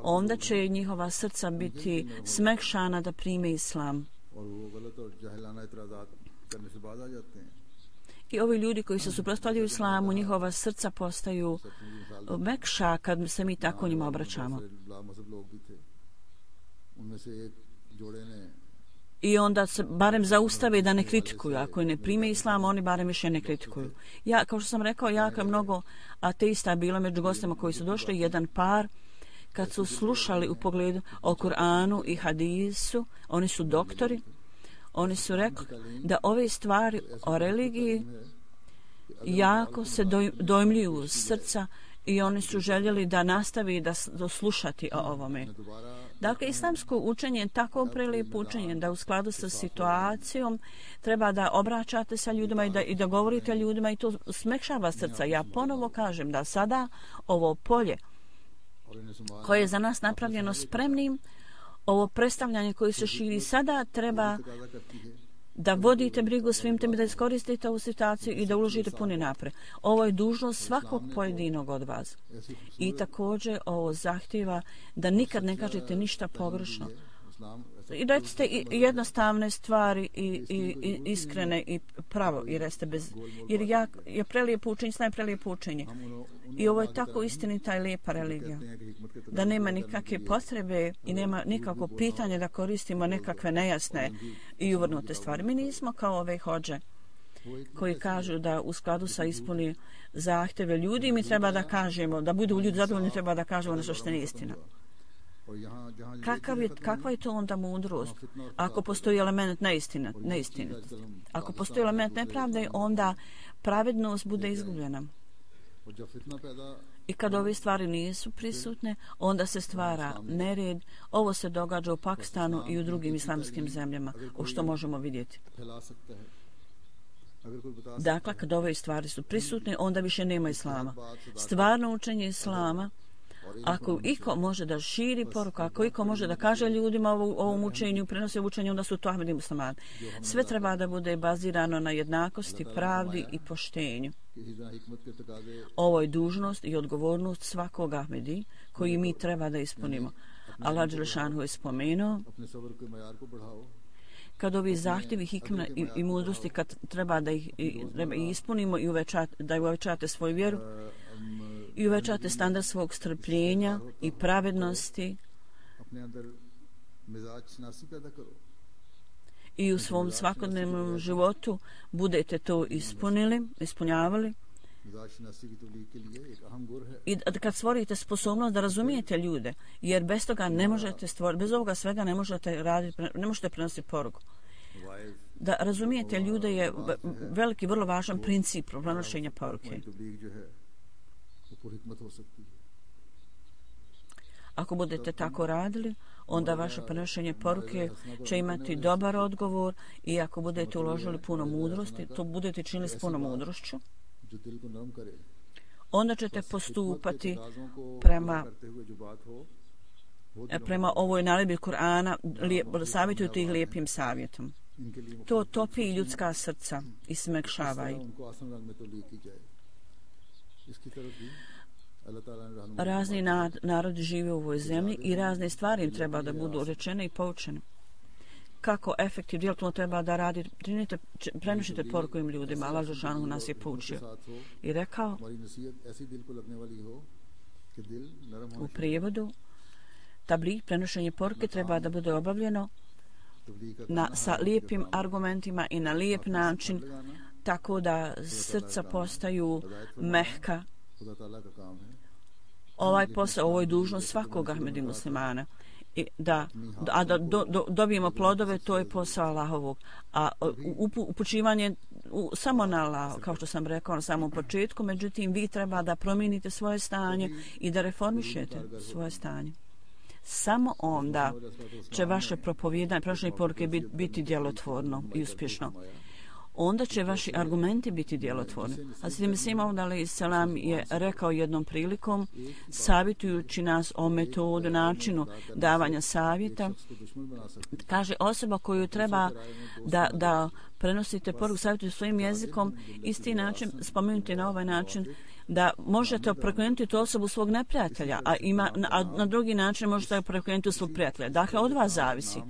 onda će njihova srca biti smekšana da prime islam. I ovi ljudi koji se suprotstavljaju islamu, njihova srca postaju mekša kad se mi tako njima obraćamo. I onda se barem zaustave da ne kritikuju. Ako ne prime islam, oni barem više ne kritikuju. Ja, kao što sam rekao, jako je mnogo ateista bilo među gostima koji su došli, jedan par, kad su slušali u pogledu o Kur'anu i hadisu, oni su doktori, oni su rekli da ove stvari o religiji jako se dojmljuju uz srca i oni su željeli da nastavi da slušati o ovome. Dakle, islamsko učenje je tako prelijepo učenje da u skladu sa situacijom treba da obraćate sa ljudima i da, i da govorite ljudima i to smekšava srca. Ja ponovo kažem da sada ovo polje koje je za nas napravljeno spremnim, ovo predstavljanje koje se širi sada treba da vodite brigu svim tem, da iskoristite ovu situaciju i da uložite puni napred. Ovo je dužnost svakog pojedinog od vas. I također ovo zahtjeva da nikad ne kažete ništa pogrešno. I recite jednostavne stvari i, i, i iskrene i pravo i reste bez, jer ja, je prelijepo učenje, sna je prelijepo učenje. I ovo je tako istinita i lijepa religija, da nema nikakve potrebe i nema nikakvo pitanje da koristimo nekakve nejasne i uvrnute stvari. Mi nismo kao ove hođe koji kažu da u skladu sa ispuni zahtjeve ljudi mi treba da kažemo, da budu ljudi zadovoljni, treba da kažemo nešto što nije istina. Kakav je, kakva je to onda mudrost? Ako postoji element neistina, neistinitosti, ako postoji element nepravde, onda pravednost bude izgubljena. I kad ove stvari nisu prisutne, onda se stvara nered. Ovo se događa u Pakistanu i u drugim islamskim zemljama, o što možemo vidjeti. Dakle, kad ove stvari su prisutne, onda više nema islama. Stvarno učenje islama Ako iko može da širi poruku, ako iko može da kaže ljudima o ovom učenju, prenosi učenju, onda su to Ahmedi muslimani. Sve treba da bude bazirano na jednakosti, pravdi i poštenju. Ovo je dužnost i odgovornost svakog Ahmedi koji mi treba da ispunimo. Allah Đelešanu je spomenuo kad ovi zahtjevi hikme i, i mudrosti kad treba da ih i, treba ispunimo i uvećate, da uvećate svoju vjeru i uvećate standard svog strpljenja i pravednosti i u svom svakodnevnom životu budete to ispunili, ispunjavali. I kad stvorite sposobnost da razumijete ljude, jer bez toga ne možete stvoriti, bez ovoga svega ne možete raditi, ne možete prenositi poruku. Da razumijete ljude je veliki, vrlo važan princip prenošenja poruke. Ako budete tako radili, onda vaše prenošenje poruke će imati dobar odgovor i ako budete uložili puno mudrosti, to budete činili s puno mudrošću, onda ćete postupati prema prema ovoj naredbi Kur'ana, savjetuju ih lijepim savjetom. To topi ljudska srca i smekšavaju. Razni narodi žive u ovoj zemlji i razne stvari im treba da budu rečene i poučene. Kako efektivno djelotvorno treba da radi, prenošite poruku im ljudima. Allah Đelešanu nas je poučio i rekao u prijevodu, tabligh, prenošenje poruke treba da bude obavljeno na, sa lijepim argumentima i na lijep način, tako da srca postaju mehka. Ovaj posao, ovo je dužnost svakog Ahmedi muslimana. I da, a da do, do, dobijemo plodove, to je posao Allahovog. A upu, upućivanje u, samo na Allah, kao što sam rekao na samom početku, međutim vi treba da promijenite svoje stanje i da reformišete svoje stanje. Samo onda će vaše propovijedanje, prenošenje poruke biti djelotvorno i uspješno. Onda će vaši argumenti biti djelotvorni. Hazreti Mesih Maud alejhi selam je rekao jednom prilikom, savjetujući nas o metodu, načinu davanja savjeta, kaže osoba koju treba da, da prenosite poruku, savjetuju svojim jezikom, isti način, spomenuti na ovaj način, da možete prokrenuti tu osobu svog neprijatelja, a, ima, a na drugi način možete prokrenuti svog prijatelja. Dakle, od vas zavisi.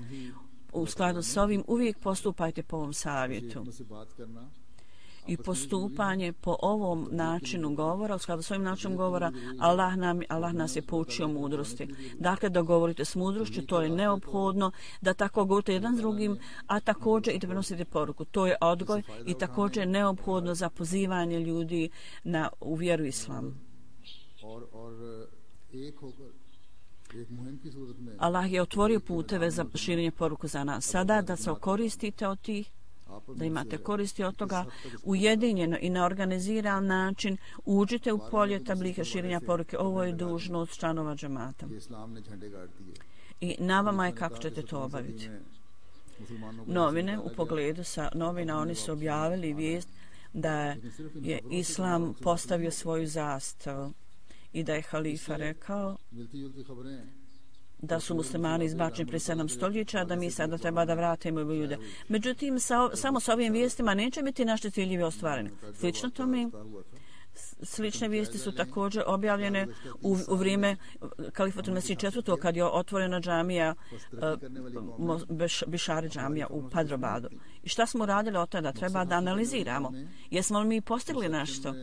U skladu s ovim uvijek postupajte po ovom savjetu. I postupanje po ovom načinu govora, u skladu s ovim načinom govora, Allah, nam, Allah nas je poučio mudrosti. Dakle, da govorite s mudrošću, to je neophodno, da tako govorite jedan s drugim, a također i da prenosite poruku. To je odgoj i također je neophodno za pozivanje ljudi na, u vjeru islamu. Allah je otvorio puteve za širenje poruku za nas. Sada da se koristite od tih, da imate koristi od toga, ujedinjeno i na organiziran način uđite u polje tabliha širenja poruke. Ovo je dužnost članova džemata. I na vama je kako ćete to obaviti. Novine, u pogledu sa novina, oni su objavili vijest da je Islam postavio svoju zastavu i da je halifa rekao da su muslimani izbačeni prije sedam stoljeća, da mi sada treba da vratimo ljude. Međutim, sa, samo sa ovim vijestima neće biti naši ciljevi ostvareni. Slično tome, slične vijesti su također objavljene u, u vrijeme Kalifatul Mesih četvrtog kad je otvorena džamija, uh, Bišari džamija u Padrobadu. I šta smo radili od tada? Treba da analiziramo. Jesmo li mi postigli nešto?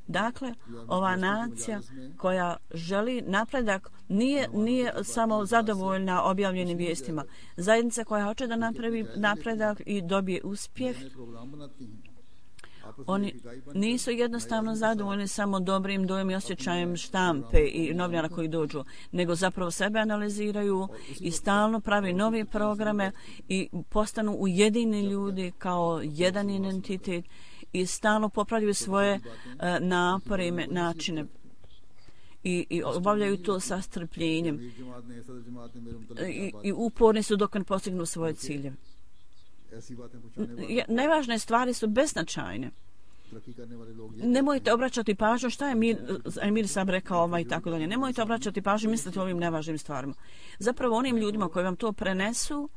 Dakle, ova nacija koja želi napredak nije, nije samo zadovoljna objavljenim vijestima. Zajednica koja hoće da napravi napredak i dobije uspjeh, oni nisu jednostavno zadovoljni samo dobrim dojom i osjećajem štampe i novinara koji dođu, nego zapravo sebe analiziraju i stalno pravi nove programe i postanu ujedini ljudi kao jedan identitet i stalno popravljaju svoje uh, napore i načine i, i obavljaju to sa strpljenjem i, i uporni su dok ne postignu svoje ciljeve. Nevažne stvari su beznačajne Nemojte obraćati pažnju šta je Emir, Emir Sab rekao ovaj i tako dalje. Nemojte obraćati pažnju i misliti o ovim nevažnim stvarima. Zapravo onim ljudima koji vam to prenesu,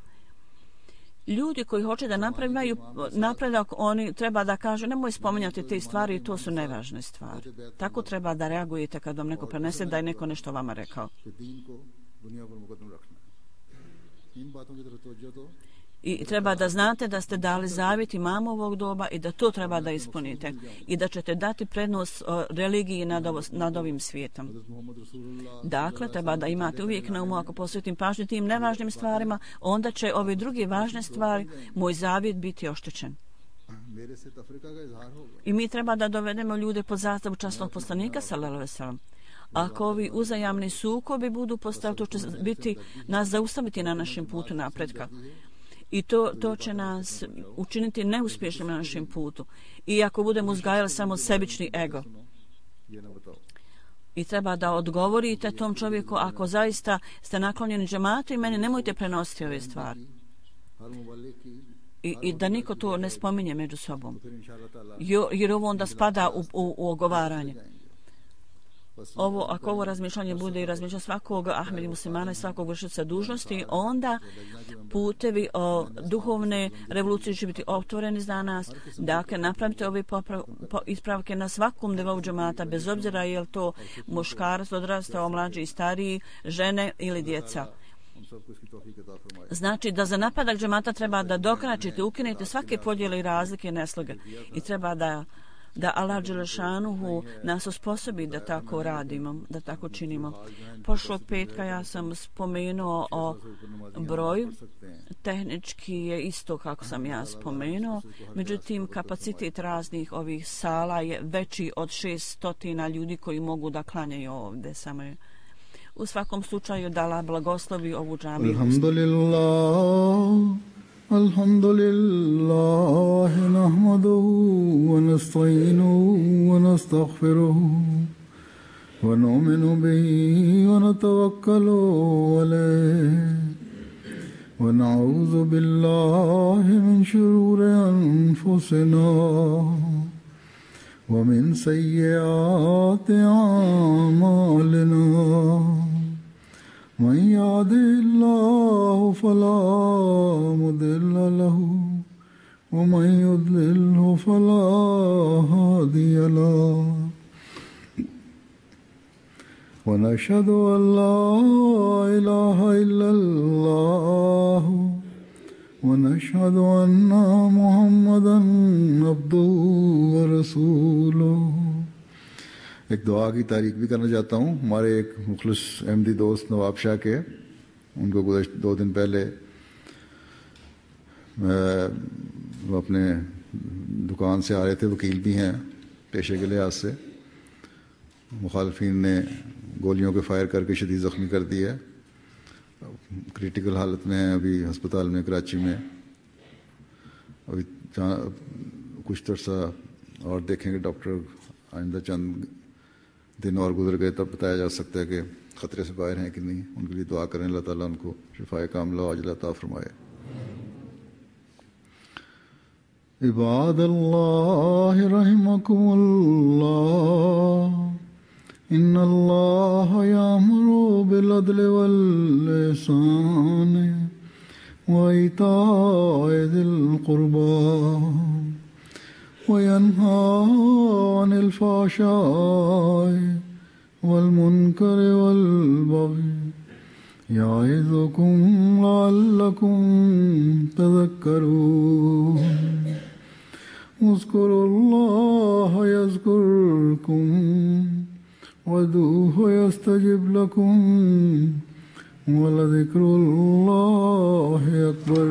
ljudi koji hoće da napravaju napredak, oni treba da kažu nemoj spominjati te stvari, to su nevažne stvari. Tako treba da reagujete kad vam neko prenese da je neko nešto vama rekao. I treba da znate da ste dali zavjet imamo ovog doba i da to treba da ispunite i da ćete dati prednost religiji nad, ovo, nad ovim svijetom. Dakle, treba da imate uvijek na umu, ako posvetim pažnju tim nevažnim stvarima, onda će ove druge važne stvari, moj zavjet, biti oštećen. I mi treba da dovedemo ljude pod zastavu časnog poslanika, sallallahu alejhi ve sellem. Ako ovi uzajamni sukobi budu postaviti, to će biti nas zaustaviti na našem putu napretka. I to, to će nas učiniti neuspješnim na našem putu. I ako budemo uzgajali samo sebični ego. I treba da odgovorite tom čovjeku, ako zaista ste naklonjeni džematu i meni, nemojte prenositi ove stvari. I, i da niko to ne spominje među sobom. Jer ovo onda spada u, u, u ogovaranje. Ovo, ako ovo razmišljanje bude i razmišljanje svakog Ahmedi muslimana i svakog vršioca dužnosti, onda putevi o duhovne revolucije će biti otvoreni za nas. Dakle, napravite ove poprav, po, ispravke na svakom nivou džemata, bez obzira je li to muškarac, odrastao, mlađi i stariji, žene ili djeca. Znači da za napadak džemata treba da dokračite, ukinete svake podjele i razlike i nesloge. I treba da da Allah Đelešanuhu nas osposobi da tako radimo, da tako činimo. Prošlog petka ja sam spomenuo o broju, tehnički je isto kako sam ja spomenuo, međutim kapacitet raznih ovih sala je veći od šeststotina ljudi koji mogu da klanjaju ovdje samo. U svakom slučaju da Allah blagoslovi ovu džamiju. Alhamdulillah. الحمد لله نحمده ونستعينه ونستغفره ونؤمن به ونتوكل عليه ونعوذ بالله من شرور أنفسنا ومن سيئات أعمالنا من يهده الله فلا مضل له ومن يضلله فلا هادي له ونشهد أن لا إله إلا الله ونشهد أن محمدا عبده ورسوله. एक दुआ की तारीफ भी करना चाहता हूँ हमारे एक मुखलिस अहमदी दोस्त नवाब शाह के, उनको गुज़श्त दो दिन पहले वो अपने दुकान से आ रहे थे, वकील भी हैं पेशे के लिहाज से, मुखालफिन ने गोलियों के फायर करके शदीद ज़ख्मी कर दिया, क्रिटिकल हालत में हैं अभी हस्पताल में कराची में। अभी कुछ तरसा और देखेंगे डॉक्टर, आइंदा चंद दिन और गुजर गए तब बताया जा सकता है कि ख़तरे से बाहर हैं कि नहीं। उनके लिए दुआ करें, अल्लाह ताला उनको शिफाए कामिला आजिला अता फरमाए। इबादल्लाह रहमकुमुल्लाह इन्नल्लाह यामुरु बिल अदलि वल इहसानि व इताइ ज़िल क़ुर्बा وينهى عن الفحشاء والمنكر والبغي يعظكم لعلكم تذكرون. اذكروا الله يذكركم وادعوه يستجب لكم ولذكر الله أكبر.